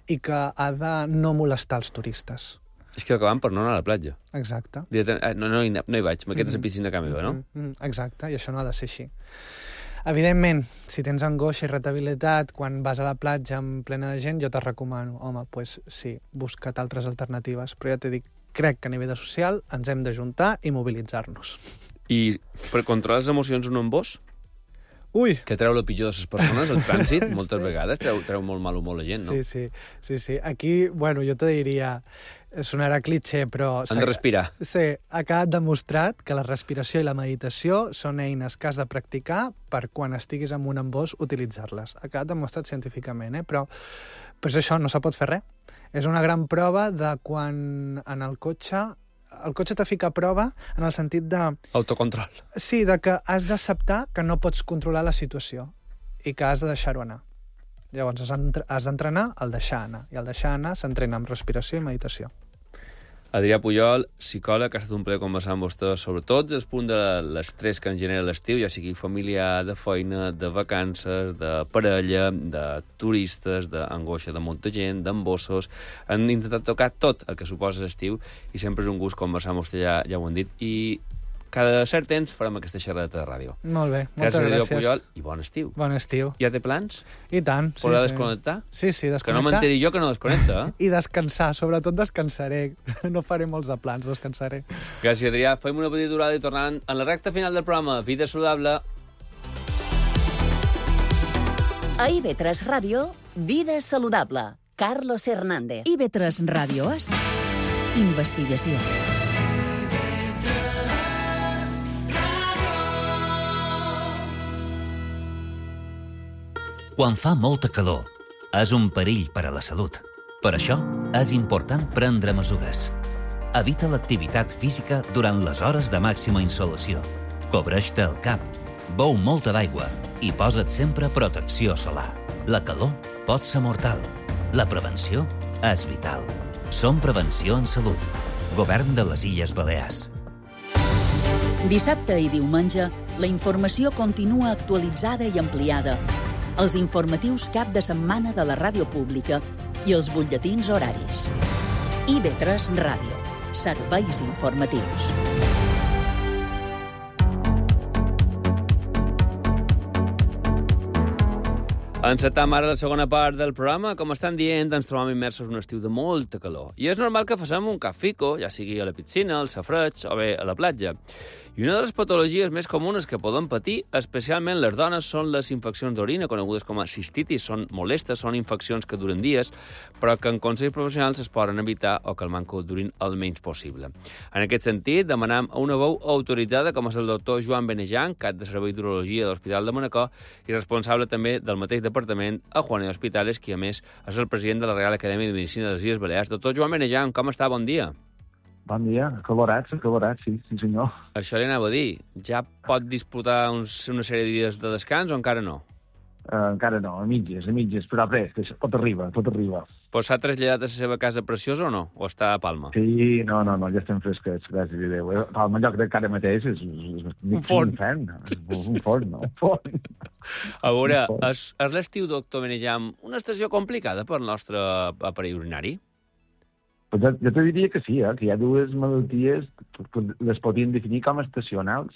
i que ha de no molestar els turistes. És que acabem per no anar a la platja. Exacte. No, no, hi, no hi vaig, m'aquesta és la piscina que meva, no? Exacte, i això no ha de ser així. Evidentment, si tens angoixa i irritabilitat quan vas a la platja en plena de gent, jo te recomano, home, doncs sí, busca't altres alternatives. Però ja t'he dit, crec que a nivell de social ens hem d'ajuntar i mobilitzar-nos. I per controlar les emocions un embòs? Ui! Que treu el pitjor de les persones, el trànsit, moltes sí. vegades treu, treu molt mal humor la gent, no? Sí, sí, sí, sí. Aquí, bueno, jo te diria, sonarà cliché, però... Han de respirar. Sí, ha quedat demostrat que la respiració i la meditació són eines que has de practicar per quan estiguis en un embòs utilitzar-les. Ha quedat demostrat científicament, eh? Però, però és això, no se pot fer res. És una gran prova de quan en el cotxe... El cotxe te fica a prova en el sentit de... Autocontrol. Sí, de que has d'acceptar que no pots controlar la situació i que has de deixar-ho anar. Llavors has d'entrenar el deixar anar, i el deixar anar s'entrena amb respiració i meditació. Adrià Pujol, psicòleg, ha estat un plaer conversar amb vostè sobre tots els punts de l'estrès que ens genera l'estiu, ja sigui familiar, de feina, de vacances, de parella, de turistes, d'angoixa de molta gent, d'embossos. Han intentat tocar tot el que suposa l'estiu i sempre és un gust conversar amb vostè, ja, ja ho han dit, i cada cert temps farem aquesta xerrada de ràdio. Molt bé, moltes gràcies. gràcies. Pujol, i bon estiu. Bon estiu. Ja té plans? I tant. Sí, Podrà sí. desconnectar? Sí, sí, desconnectar. Que no m'enteri jo que no desconnecta, eh? I descansar, sobretot descansaré. No faré molts de plans, descansaré. Gràcies, Adrià. Fem una petita aturada i tornant en la recta final del programa. Vida saludable. A I V tres Ràdio, Vida saludable. Carlos Hernández. I V tres Ràdio és investigació. Quan fa molta calor, és un perill per a la salut. Per això, és important prendre mesures. Evita l'activitat física durant les hores de màxima insolació. Cobreix-te el cap, beu molta d'aigua i posa't sempre protecció solar. La calor pot ser mortal. La prevenció és vital. Som Prevenció en Salut. Govern de les Illes Balears. Dissabte i diumenge, la informació continua actualitzada i ampliada. Els informatius cap de setmana de la ràdio pública i els butlletins horaris. I V tres Ràdio. Serveis informatius. Encetam ara la segona part del programa. Com estan dient, ens trobam immersos en un estiu de molta calor. I és normal que facem un cafico, ja sigui a la piscina, al safreig o bé a la platja. I una de les patologies més comunes que poden patir, especialment les dones, són les infeccions d'orina, conegudes com a cistitis. Són molestes, són infeccions que duren dies, però que en consells professionals es poden evitar o que el manco durin el menys possible. En aquest sentit, demanam a una veu autoritzada, com és el doctor Joan Benejan, cap de Servei d'Urologia de l'Hospital de Manacor i responsable també del mateix departament a Juanito Hospitales, qui a més és el president de la Real Acadèmia de Medicina de les Illes Balears. Doctor Joan Benejan, com està? Bon dia. Bon dia, acalorats, acalorats, sí, sí senyor. Això li anava a dir. Ja pot disputar uns, una sèrie de dies de descans o encara no? Uh, encara no, a mitges, a mitges, però res, tot arriba, tot arriba. Però s'ha traslladat a la seva casa preciosa o no? O està a Palma? Sí, no, no, no, ja estem fresquets, gràcies a Déu. Palma, en lloc de cara mateix, és, és, és un forn. Un forn, un forn, no? Un forn. A veure, és, és l'estiu, doctor Benejam, una estació complicada per al nostre aparell urinari? Pues jo, jo te diria que sí, eh? Que hi ha dues malalties que les podríem definir com estacionals.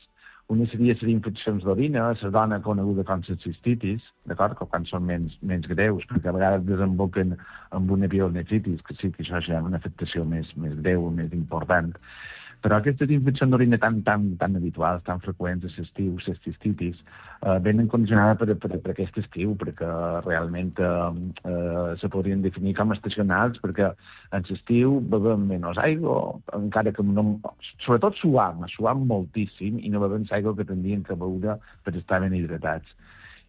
Una seria les infeccions d'orina, la dona coneguda com la cistitis, d'acord? Que quan són menys, menys greus, perquè a vegades desemboquen amb una pielonefritis, que sí que això ja és una afectació més, més greu, més important. Però aquestes infeccions d'orina tan, tan, tan habituals, tan freqüents, a l'estiu, les cistitis, eh, venen condicionades per, per, per aquest estiu, perquè realment eh, eh, se podrien definir com estacionals, perquè en l'estiu bevem menys aigua, encara que no... Sobretot suam, suam moltíssim i no bevem l'aigua que tindríem que beure per estar ben hidratats.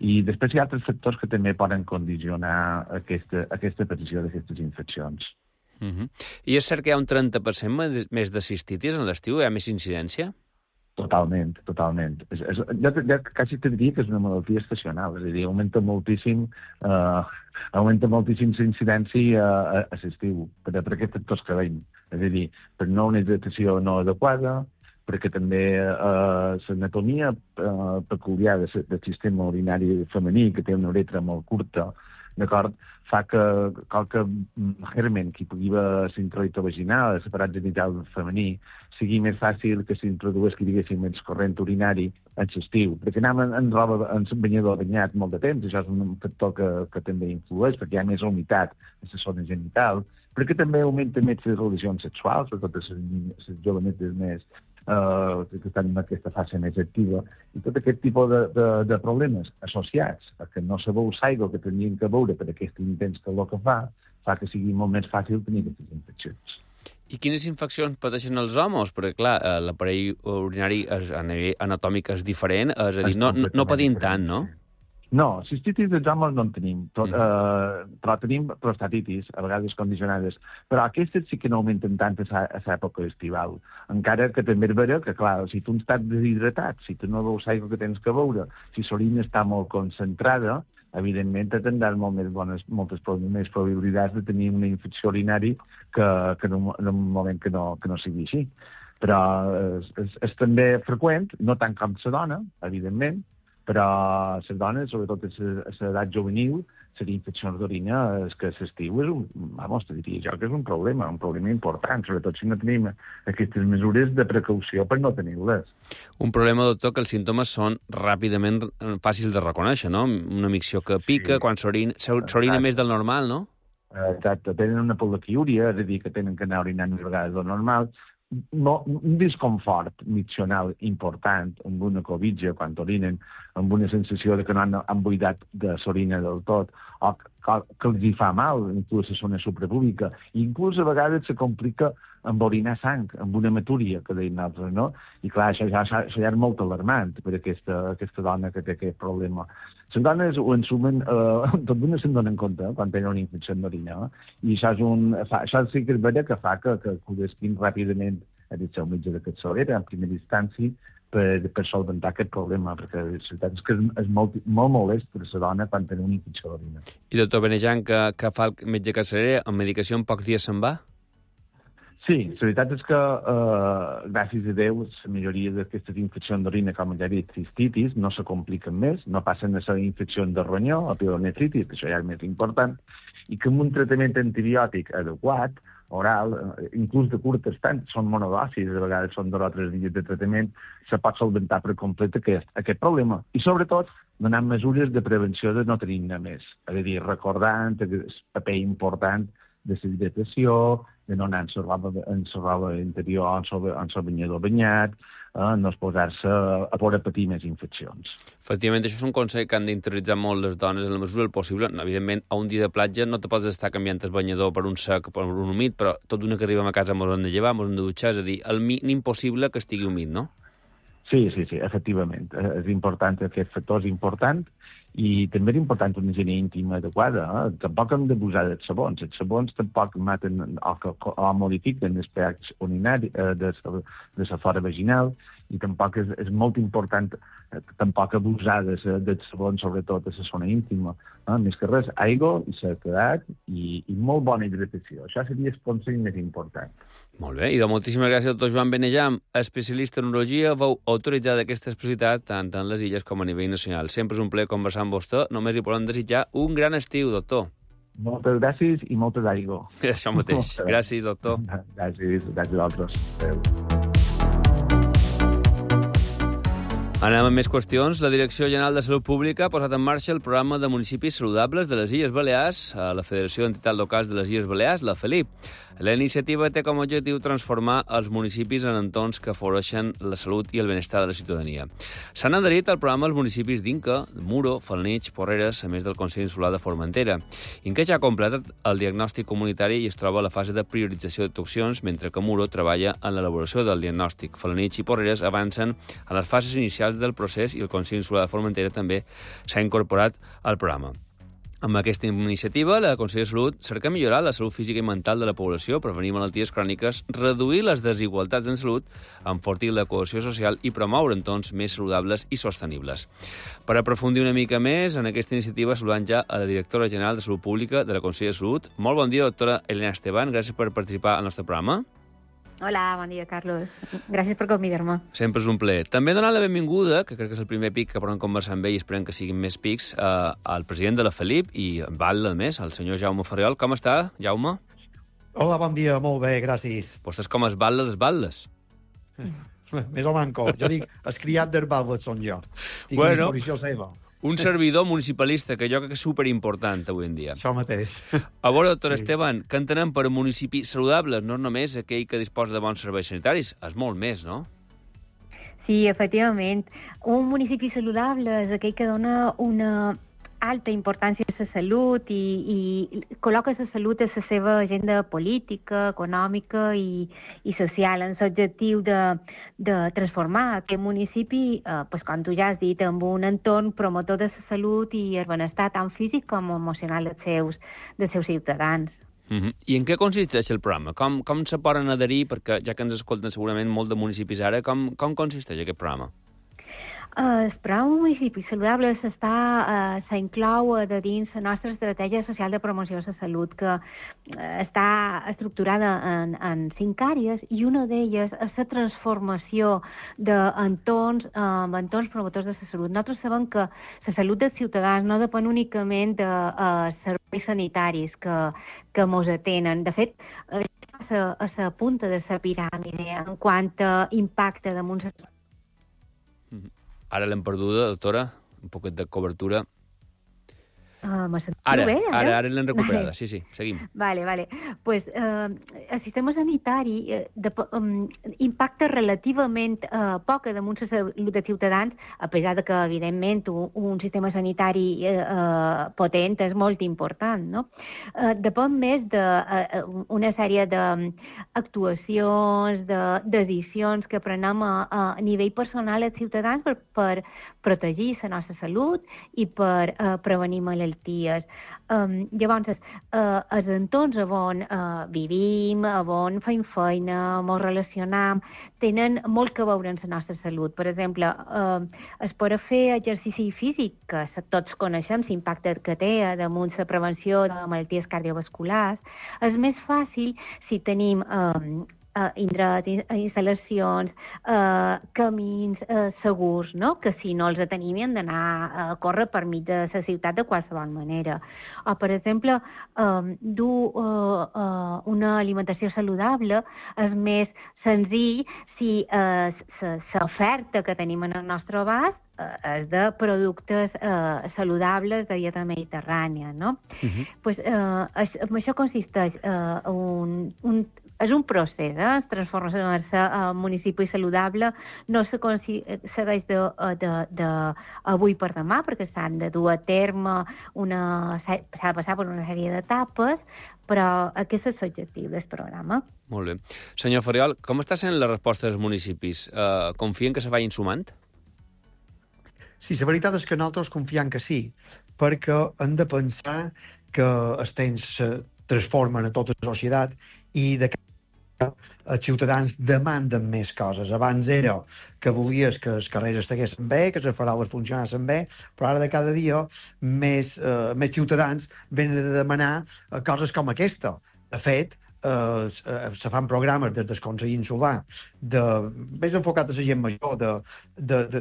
I després hi ha altres factors que també poden condicionar aquesta, aquesta aparició d'aquestes infeccions. Uh-huh. I és cert que hi ha un trenta per cent més de cistitis en l'estiu? Hi ha més incidència? Totalment, totalment. És, és, jo, jo quasi te diria que és una malaltia estacional, és a dir, augmenta moltíssim eh, augmenta moltíssim la incidència a, a, a l'estiu, per, per aquests factors que veiem. És a dir, per no una hidratació no adequada, perquè també eh, l'anatomia eh, peculiar del sistema urinari femení, que té una uretra molt curta, d'acord, fa que qualque germen que hi pugui haver l'introito vaginal, el separat genital femení, sigui més fàcil que s'introdueix, que diguéssim, més corrent urinari en l'estiu. Perquè anem en, en roba, en banyador banyat molt de temps, això és un factor que, que també influeix, perquè hi ha més humitat en la zona genital, perquè també augmenta més les relacions sexuals, sobretot les jovenetes més Uh, que estan en aquesta fase més activa, i tot aquest tipus de, de, de problemes associats a que no se veu l'aigua que tenien que veure per aquest intens calor que fa, fa que sigui molt més fàcil tenir aquestes infeccions. I quines infeccions pateixen els homes? Perquè, clar, l'aparell urinari és, a nivell anatòmic és diferent, és a dir, no, no, no patim tant, no? No, cistitis dels homes no en tenim, tot, mm. eh, però tenim prostatitis, a vegades condicionades, però aquestes sí que no augmenten tant a l'època estival. Encara que també és vera que, clar, si tu estàs deshidratat, si tu no veus l'aigua que tens que beure, si l'orina està molt concentrada, evidentment tindràs molt més bones, moltes més probabilitats de tenir una infecció urinari que, que en, un, en un moment que no, que no sigui així. Però és, és, és també freqüent, no tant com la dona, evidentment, però les dones, sobretot a l'edat juvenil, les infeccions d'orina, és que l'estiu és un, vamos, te diria jo que és un problema, un problema important, sobretot si no tenim aquestes mesures de precaució per no tenir-les. Un problema, doctor, que els símptomes són ràpidament fàcils de reconèixer, no? Una micció que pica, sí. Quan s'orina més del normal, no? Exacte, tenen una poliquiúria, és a dir, que tenen que anar orinant més vegades del normal, no, un disconfort miccional important amb una covitja quan orinen, amb una sensació de que no han, han buidat de l'orina del tot, o que, que els hi fa mal, inclús a la zona suprapúbica. Inclús a vegades se complica amb orinar sang, amb una matúria, que deien altres, no? I clar, això ja, això ja és molt alarmant per aquesta, aquesta dona que té aquest problema. Les dones ho ensumen, eh, tot d'una se'n donen compte eh, quan tenen una infecció d'orina, eh? I això, és un, fa, això sí que és vera que fa que, que acudisquin ràpidament a dir seu metge de capçalera, en primera instància, per, per solventar aquest problema, perquè la veritat és que és, és molt, molt molest per a la dona quan tenen una infecció d'orina. I doctor Benejan, que, que fa el metge capçalera, amb medicació en pocs dies se'n va? Sí, la veritat és que, eh, gràcies a Déu, la majoria d'aquestes infeccions d'orina, com ja he dit, cistitis, no se compliquen més, no passen a ser infeccions de ronyó o pielonefritis, que això ja és més important, i que amb un tractament antibiòtic adequat, oral, inclús de curt estat, són monodòsis, a vegades són dos o tres dies de tractament, se pot solventar per complet aquest, aquest problema. I sobretot, donant mesures de prevenció de no tenir-ne més. És a dir, recordant el paper important de la hidratació, de no anar en la roba, en la roba interior, en el banyador banyat, eh, no exposar-se a poder patir més infeccions. Efectivament, això és un consell que han d'interioritzar molt les dones en la mesura del possible. Evidentment, a un dia de platja no te pots estar canviant el banyador per un sec o per un humit, però tot d'una que arribem a casa mos hem de llevar, mos hem de dutxar, és a dir, el mínim possible que estigui humit, no? Sí, sí, sí, efectivament. És important, aquest factor és important, i també és important una higiene íntima adequada. Eh? Tampoc hem d'abusar dels sabons. Els sabons tampoc maten o, o modifiquen el pH urinari eh, de, de la flora vaginal, i tampoc és, és molt important eh, tampoc abusar dels de sabons, sobretot a la zona íntima. Eh? Més que res, aigua i sequedat i, i molt bona hidratació. Això seria el consell més important. Molt bé, i doncs moltíssimes gràcies, doctor Joan Benejam, especialista en urologia, vau autoritzar aquesta especialitat tant en les illes com a nivell nacional. Sempre és un plaer conversar amb vostè, només li podem desitjar un gran estiu, doctor. Moltes gràcies i moltes aigua. Això mateix. Gràcies, doctor. Gràcies, gràcies a vosaltres. Adéu. Anem amb més qüestions. La Direcció General de Salut Pública ha posat en marxa el programa de municipis saludables de les Illes Balears a la Federació d'Entitats Locals de les Illes Balears, la FELIP. La iniciativa té com a objectiu transformar els municipis en entorns que afavoreixen la salut i el benestar de la ciutadania. S'han adherit al programa els municipis d'Inca, Muro, Falnich, Porreres, a més del Consell Insular de Formentera. Inca ja ha completat el diagnòstic comunitari i es troba a la fase de priorització d'actuacions, mentre que Muro treballa en l'elaboració del diagnòstic. Falnich i Porreres avancen a les fases inicials del procés i el Consell Insular de Formentera també s'ha incorporat al programa. Amb aquesta iniciativa, la Conselleria de Salut cerca millorar la salut física i mental de la població, prevenir malalties cròniques, reduir les desigualtats en salut, enfortir la cohesió social i promoure entorns més saludables i sostenibles. Per aprofundir una mica més en aquesta iniciativa, saludant ja a la directora general de Salut Pública de la Conselleria de Salut. Molt bon dia, doctora Elena Esteban. Gràcies per participar al nostre programa. Hola, bon dia, Carlos. Gràcies per convidar-me. Sempre és un plaer. També donar la benvinguda, que crec que és el primer pic que podem conversar amb ell i esperem que siguin més pics, eh, al president de la FELIP i batlle, a més, el senyor Jaume Ferriol. Com està, Jaume? Hola, bon dia, molt bé, gràcies. Vostè és com es batlle dels batlles. Més o manco. Jo dic, el criat dels batlles són jo. Tinc bueno, una posició seva. Un servidor municipalista, que jo crec que és superimportant avui en dia. Això mateix. A veure, doctor Sí. Esteban, què entenem per municipis saludables? No només aquell que disposa de bons serveis sanitaris, és molt més, no? Sí, efectivament. Un municipi saludable és aquell que dona una alta importància a la salut i, i col·loca la salut a la seva agenda política, econòmica i, i social, en l'objectiu de, de transformar aquest municipi, eh, pues, com tu ja has dit, amb un entorn promotor de la salut i el benestar tant físic com emocional dels seus, dels seus ciutadans. Uh-huh. I en què consisteix el programa? Com, com se poden adherir? Perquè ja que ens escolten segurament molt de municipis ara, com, com consisteix aquest programa? El programa Municipis Saludables està, uh, s'inclou de dins la nostra estratègia social de promoció de la salut, que uh, està estructurada en, en cinc àrees, i una d'elles és la transformació d'entorns, uh, entorns promotors de la salut. Nosaltres sabem que la salut dels ciutadans no depèn únicament de uh, serveis sanitaris que, que mos atenen. De fet, uh, a la punta de la piràmide en quant a impacte damunt la salut. Uh-huh. Ara l'hem perduda, doctora, un poquet de cobertura. Uh, Uh, me sentiu ara, bé, ara? Ara, ara l'hem recuperada, sí, sí, seguim. Vale, vale. Pues, eh, el sistema sanitari eh, de, um, impacta relativament eh, poc damunt la salut dels ciutadans, a pesar de que, evidentment, un, un sistema sanitari eh, eh, potent és molt important, no? Eh, depèn més d'una de, sèrie d'actuacions, de, decisions que prenem a, a nivell personal als ciutadans per, per protegir la nostra salut i per eh, prevenir malalties. Um, llavors, uh, els entorns on uh, vivim, on fem feina, ens relacionam, tenen molt que veure amb la nostra salut. Per exemple, uh, es pot fer exercici físic, que tots coneixem l'impacte que té damunt la prevenció de malalties cardiovasculars. És més fàcil si tenim um, Uh, indrets, instal·lacions, uh, camins uh, segurs, no? Que si no els tenim hem d'anar a córrer per mig de la ciutat de qualsevol manera. O, per exemple, um, dur uh, uh, una alimentació saludable és més senzill si uh, l'oferta que tenim en el nostre abast és de productes eh, saludables de dieta mediterrània, no? Uh-huh. Pues, eh, això, això consisteix eh, un, un, és un procés, eh? Transformar-se en municipi saludable no se segueix de, de, de avui per demà, perquè s'han de dur a terme una, s'ha de passar per una sèrie d'etapes, però aquest és l'objectiu del programa. Molt bé. Senyor Farriol, com està sent la resposta dels municipis? Uh, confien que se vagin sumant? Sí, la veritat és que nosaltres confiem que sí, perquè hem de pensar que els temps se transformen a tota la societat i de que els ciutadans demanden més coses. Abans era que volies que els carrers estiguessin bé, que les faroles funcionessin bé, però ara de cada dia més, eh, més ciutadans venen a demanar coses com aquesta. De fet, Uh, se fan programes des del Consell Insular de, més enfocat a la gent major,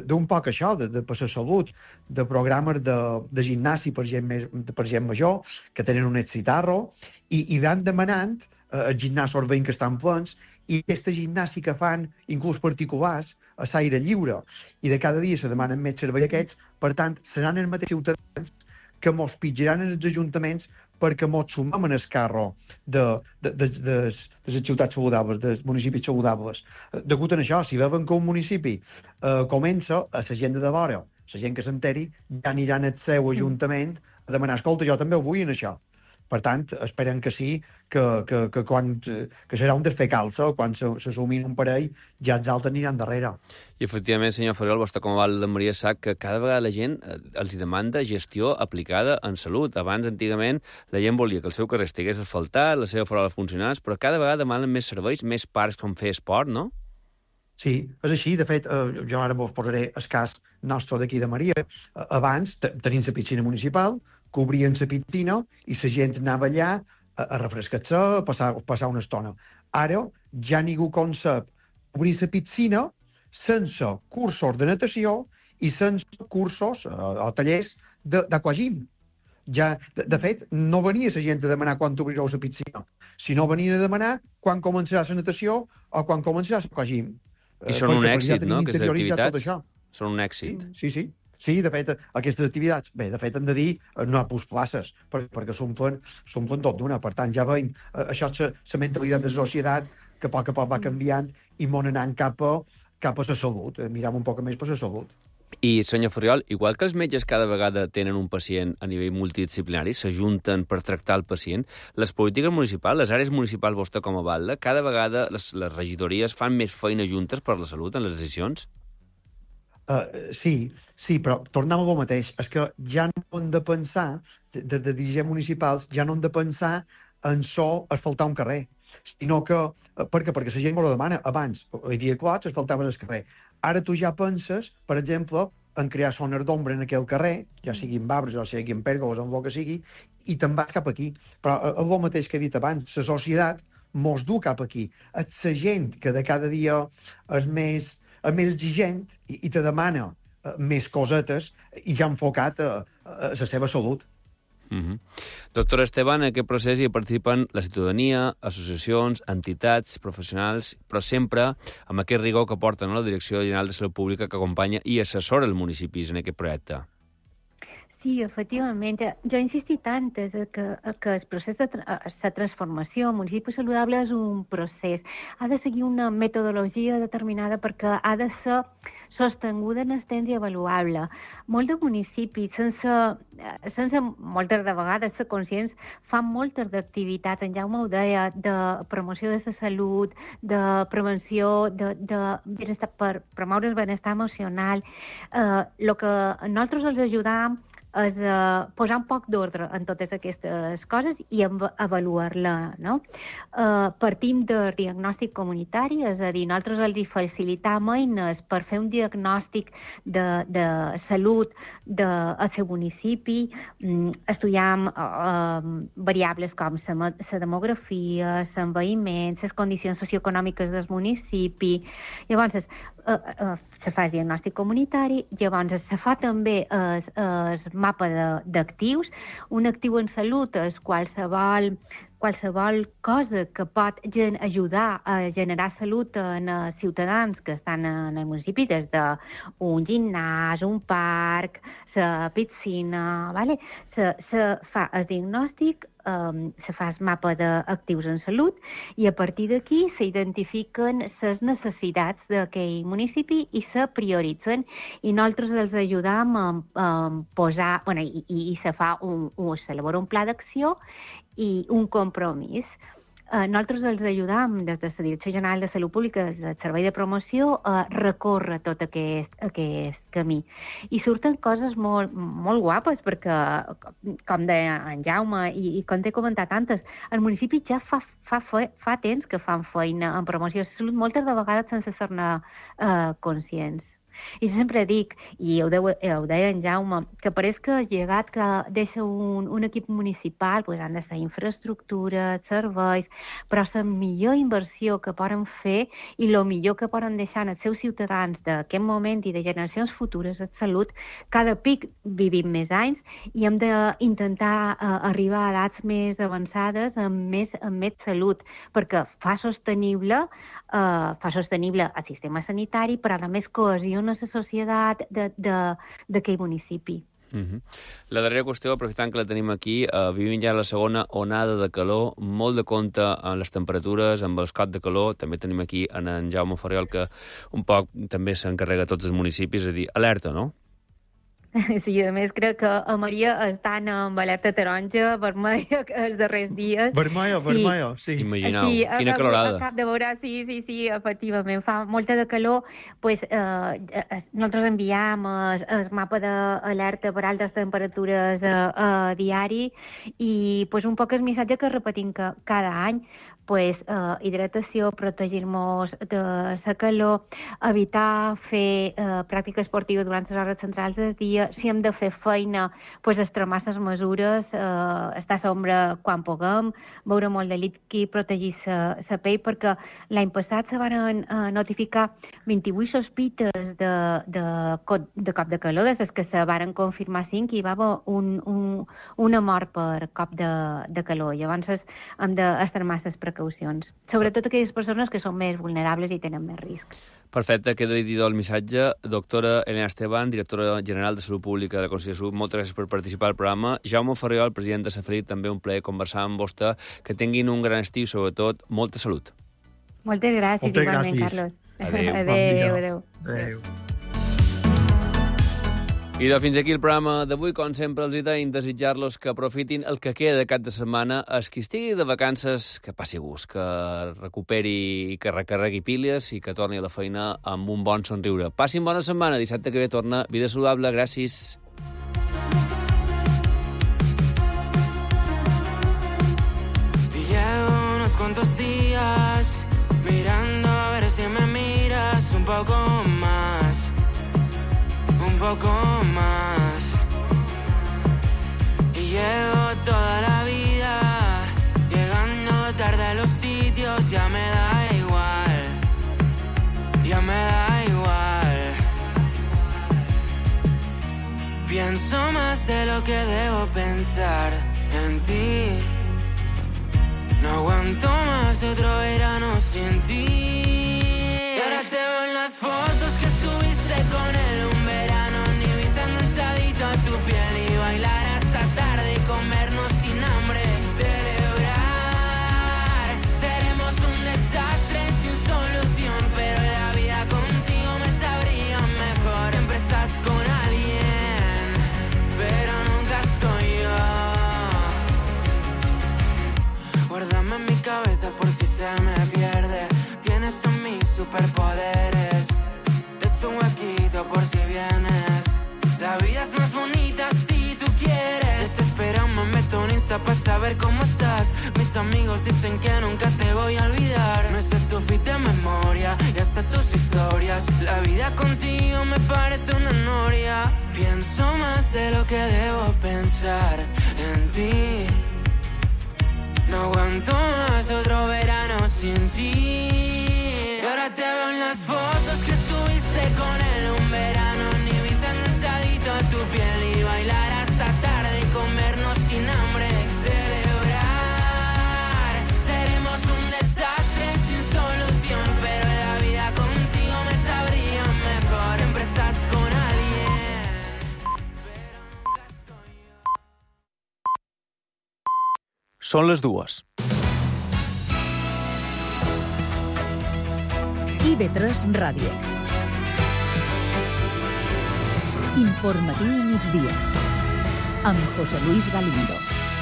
d'un poc això, de, de per la salut, de programes de, de gimnàsia per gent, més, per gent major, que tenen un excitarro, i, i van demanant uh, els gimnasos veïns que estan plens, i aquesta gimnàsia que fan, inclús particulars, a l'aire lliure, i de cada dia se demanen més servei aquests, per tant, seran els mateixos ciutadans que mos pitjaran en els ajuntaments perquè mos sumem en el carro de, de, de, de, de les ciutats saludables, dels municipis saludables. Degut a això, si veuen que un municipi eh, comença, a la gent de vora, la gent que s'enteri, ja aniran al seu ajuntament a demanar, escolta, jo també ho vull en això. Per tant, esperen que sí, que, que, que, quan, que serà un desfer calça, quan s'assumin un parell, ja els altres aniran darrere. I, efectivament, senyor Farriol, vostè com a de Maria sap que cada vegada la gent els demanda gestió aplicada en salut. Abans, antigament, la gent volia que el seu carrer estigués asfaltat, la seva farola funcionés, però cada vegada demanen més serveis, més parcs com fer esport, no? Sí, és així. De fet, eh, jo ara vos posaré el cas nostre d'aquí de Maria. Abans, tenim la piscina municipal, cobrien la piscina i la gent anava allà a, a refrescar-se, a passar, a passar una estona. Ara ja ningú concep obrir la piscina sense cursos de natació i sense cursos o, o tallers d'aquagym. Ja, de, de fet, no venia la gent a demanar quan obrireu la piscina, sinó venien a demanar quan començarà la natació o quan començarà l'aquagym. I són un èxit, no?, aquestes activitats? Són un èxit. Sí, sí. Sí, de fet, aquestes activitats, bé, de fet, hem de dir, no hi ha places, perquè, perquè s'omplen tot d'una. Per tant, ja veiem, això és la mentalitat de la societat que a poc a poc va canviant i mos anant cap a, cap a la salut, miram un poc més per la salut. I, senyor Farriol, igual que els metges cada vegada tenen un pacient a nivell multidisciplinari, s'ajunten per tractar el pacient, les polítiques municipals, les àrees municipals, vostè com a batlle, cada vegada les, les regidories fan més feina juntes per la salut en les decisions? Uh, sí, sí, però tornem a lo mateix. És que ja no hem de pensar, de, de, de dirigents municipals, ja no hem de pensar en so asfaltar un carrer, sinó que, uh, perquè, perquè la gent me ho demana. Abans, hi havia clots, asfaltaven el carrer. Ara tu ja penses, per exemple, en crear zones d'ombra en aquell carrer, ja siguin arbres o siguin pèrgoles, en el que sigui, i te'n vas cap aquí. Però uh, el mateix que he dit abans, la societat mos du cap aquí. És la gent que de cada dia és més... és més exigent i, i te demana uh, més cosetes i ja enfocat a, a la seva salut. Mm-hmm. Doctor Esteban, en aquest procés hi participen la ciutadania, associacions, entitats, professionals, però sempre amb aquest rigor que porta, no?, la Direcció General de Salut Pública, que acompanya i assessora els municipis en aquest projecte. Sí, efectivament. Jo he insistit tant que, que el procés de la transformació, el municipi saludable és un procés. Ha de seguir una metodologia determinada perquè ha de ser sostinguda en el temps i avaluable. Molts de municipis, sense, sense moltes de vegades ser conscients, fan moltes d'activitats, en Jaume ho deia, de promoció de la salut, de prevenció, de, de benestar, per promoure el benestar emocional. Eh, el que nosaltres els ajudam és uh, posar un poc d'ordre en totes aquestes coses i avaluar-la, no? Uh, partim del diagnòstic comunitari, és a dir, nosaltres els facilitam eines per fer un diagnòstic de, de salut del seu municipi, um, estudiam uh, variables com la demografia, l'envelliment, les condicions socioeconòmiques del municipi. Llavors, uh, uh, se fa el diagnòstic comunitari, llavors se fa també el, el mapa d'actius. Un actiu en salut és qualsevol, qualsevol cosa que pot gen ajudar a generar salut en els ciutadans que estan en el municipi, des d'un gimnàs, un parc, la piscina, vale? se, se fa el diagnòstic, Um, se fa el mapa d'actius en salut i a partir d'aquí s'identifiquen les necessitats d'aquell municipi i se prioritzen i nosaltres els ajudam a, a posar, bueno, i, i, i se fa un, un, s'elabora un pla d'acció i un compromís. Uh, nosaltres els ajudam des de la Direcció General de Salut Pública, el Servei de Promoció, a recórrer tot aquest, aquest camí. I surten coses molt, molt guapes, perquè, com deia en Jaume, i, i com t'he comentat antes, el municipi ja fa, fa, fa temps que fan feina en promoció de salut, moltes de vegades sense ser-ne uh, conscients. I sempre dic, i ho, deu, ho deia en Jaume, que pareix que el llegat que deixa un, un equip municipal pues, han de ser infraestructures, serveis, però la millor inversió que poden fer i el millor que poden deixar en els seus ciutadans d'aquest moment i de generacions futures de salut, cada pic vivim més anys i hem d'intentar uh, arribar a edats més avançades amb més, amb més salut, perquè fa sostenible Uh, fa sostenible el sistema sanitari, però a més cohesiona la societat d'aquell municipi. Uh-huh. La darrera qüestió, aprofitant que la tenim aquí, uh, vivim ja la segona onada de calor, molt de compte amb les temperatures, amb els cops de calor. També tenim aquí en, en Jaume Ferriol, que un poc també s'encarrega tots els municipis, és a dir, alerta, no? Sí, a més crec que a Maria estan amb alerta taronja, vermella els darrers dies. Vermella, vermella, sí. sí. Imagineu, sí, quina a, calorada. A cap de veure, sí, sí, sí, efectivament, fa molta de calor. Pues, eh, nosaltres enviam el, el mapa d'alerta per altes temperatures a, a diari i pues, un poc el missatge que repetim que cada any, pues, uh, hidratació, protegir-nos de la calor, evitar fer uh, pràctica esportiva durant les hores centrals del dia, si hem de fer feina, pues, extremar les mesures, uh, estar a l'ombra quan puguem, beure molt de líquid, protegir la pell, perquè l'any passat se van uh, notificar vint-i-vuit sospites de, de, de cop de calor, des que se van confirmar cinc i hi va haver un, un, una mort per cop de, de calor. Llavors hem d'extremar les precaucions. Sobretot aquelles persones que són més vulnerables i tenen més risc. Perfecte, queda dit el missatge. Doctora Elena Esteban, directora general de Salut Pública de la Conselleria de Salut, moltes gràcies per participar al programa. Jaume Ferriol, president de Safelit, també un plaer conversar amb vostè. Que tinguin un gran estiu i, sobretot, molta salut. Moltes gràcies, moltes igualment, gràcies. Carlos. Adéu. Adéu, adéu. Adéu. I de fins aquí el programa d'avui. Com sempre, els deim desitjar-los que aprofitin el que queda de cap de setmana. Els qui estigui de vacances, que passi gust, que recuperi, que recarregui piles i que torni a la feina amb un bon somriure. Passin bona setmana. Dissabte que ve torna Vida Saludable. Gràcies. Llevo unos cuantos días mirando a ver si me miras un poco más. Un poco más. Y llevo toda la vida llegando tarde a los sitios. Ya me da igual. Ya me da igual. Pienso más de lo que debo pensar en ti. No aguanto más otro verano sin ti. Y ahora te veo en las fotos que subiste con él un verano, ni viste enganchadito a tu piel y bailando. saber cómo estás. Mis amigos dicen que nunca te voy a olvidar. Me sé tu feed de memoria y hasta tus historias. La vida contigo me parece una noria. Pienso más de lo que debo pensar en ti. No aguanto más otro verano sin ti. Y ahora te veo en las fotos que subiste con él un verano. Ni viste enganchadito a tu piel y bailar hasta tarde y comernos sin hambre y celebrar. Seremos un desastre sin solución, pero la vida contigo me sabría mejor. Siempre estás con alguien, pero nunca soy yo. Són les dues. I V tres Ràdio. Informatiu migdia. Amb José Luis Galindo.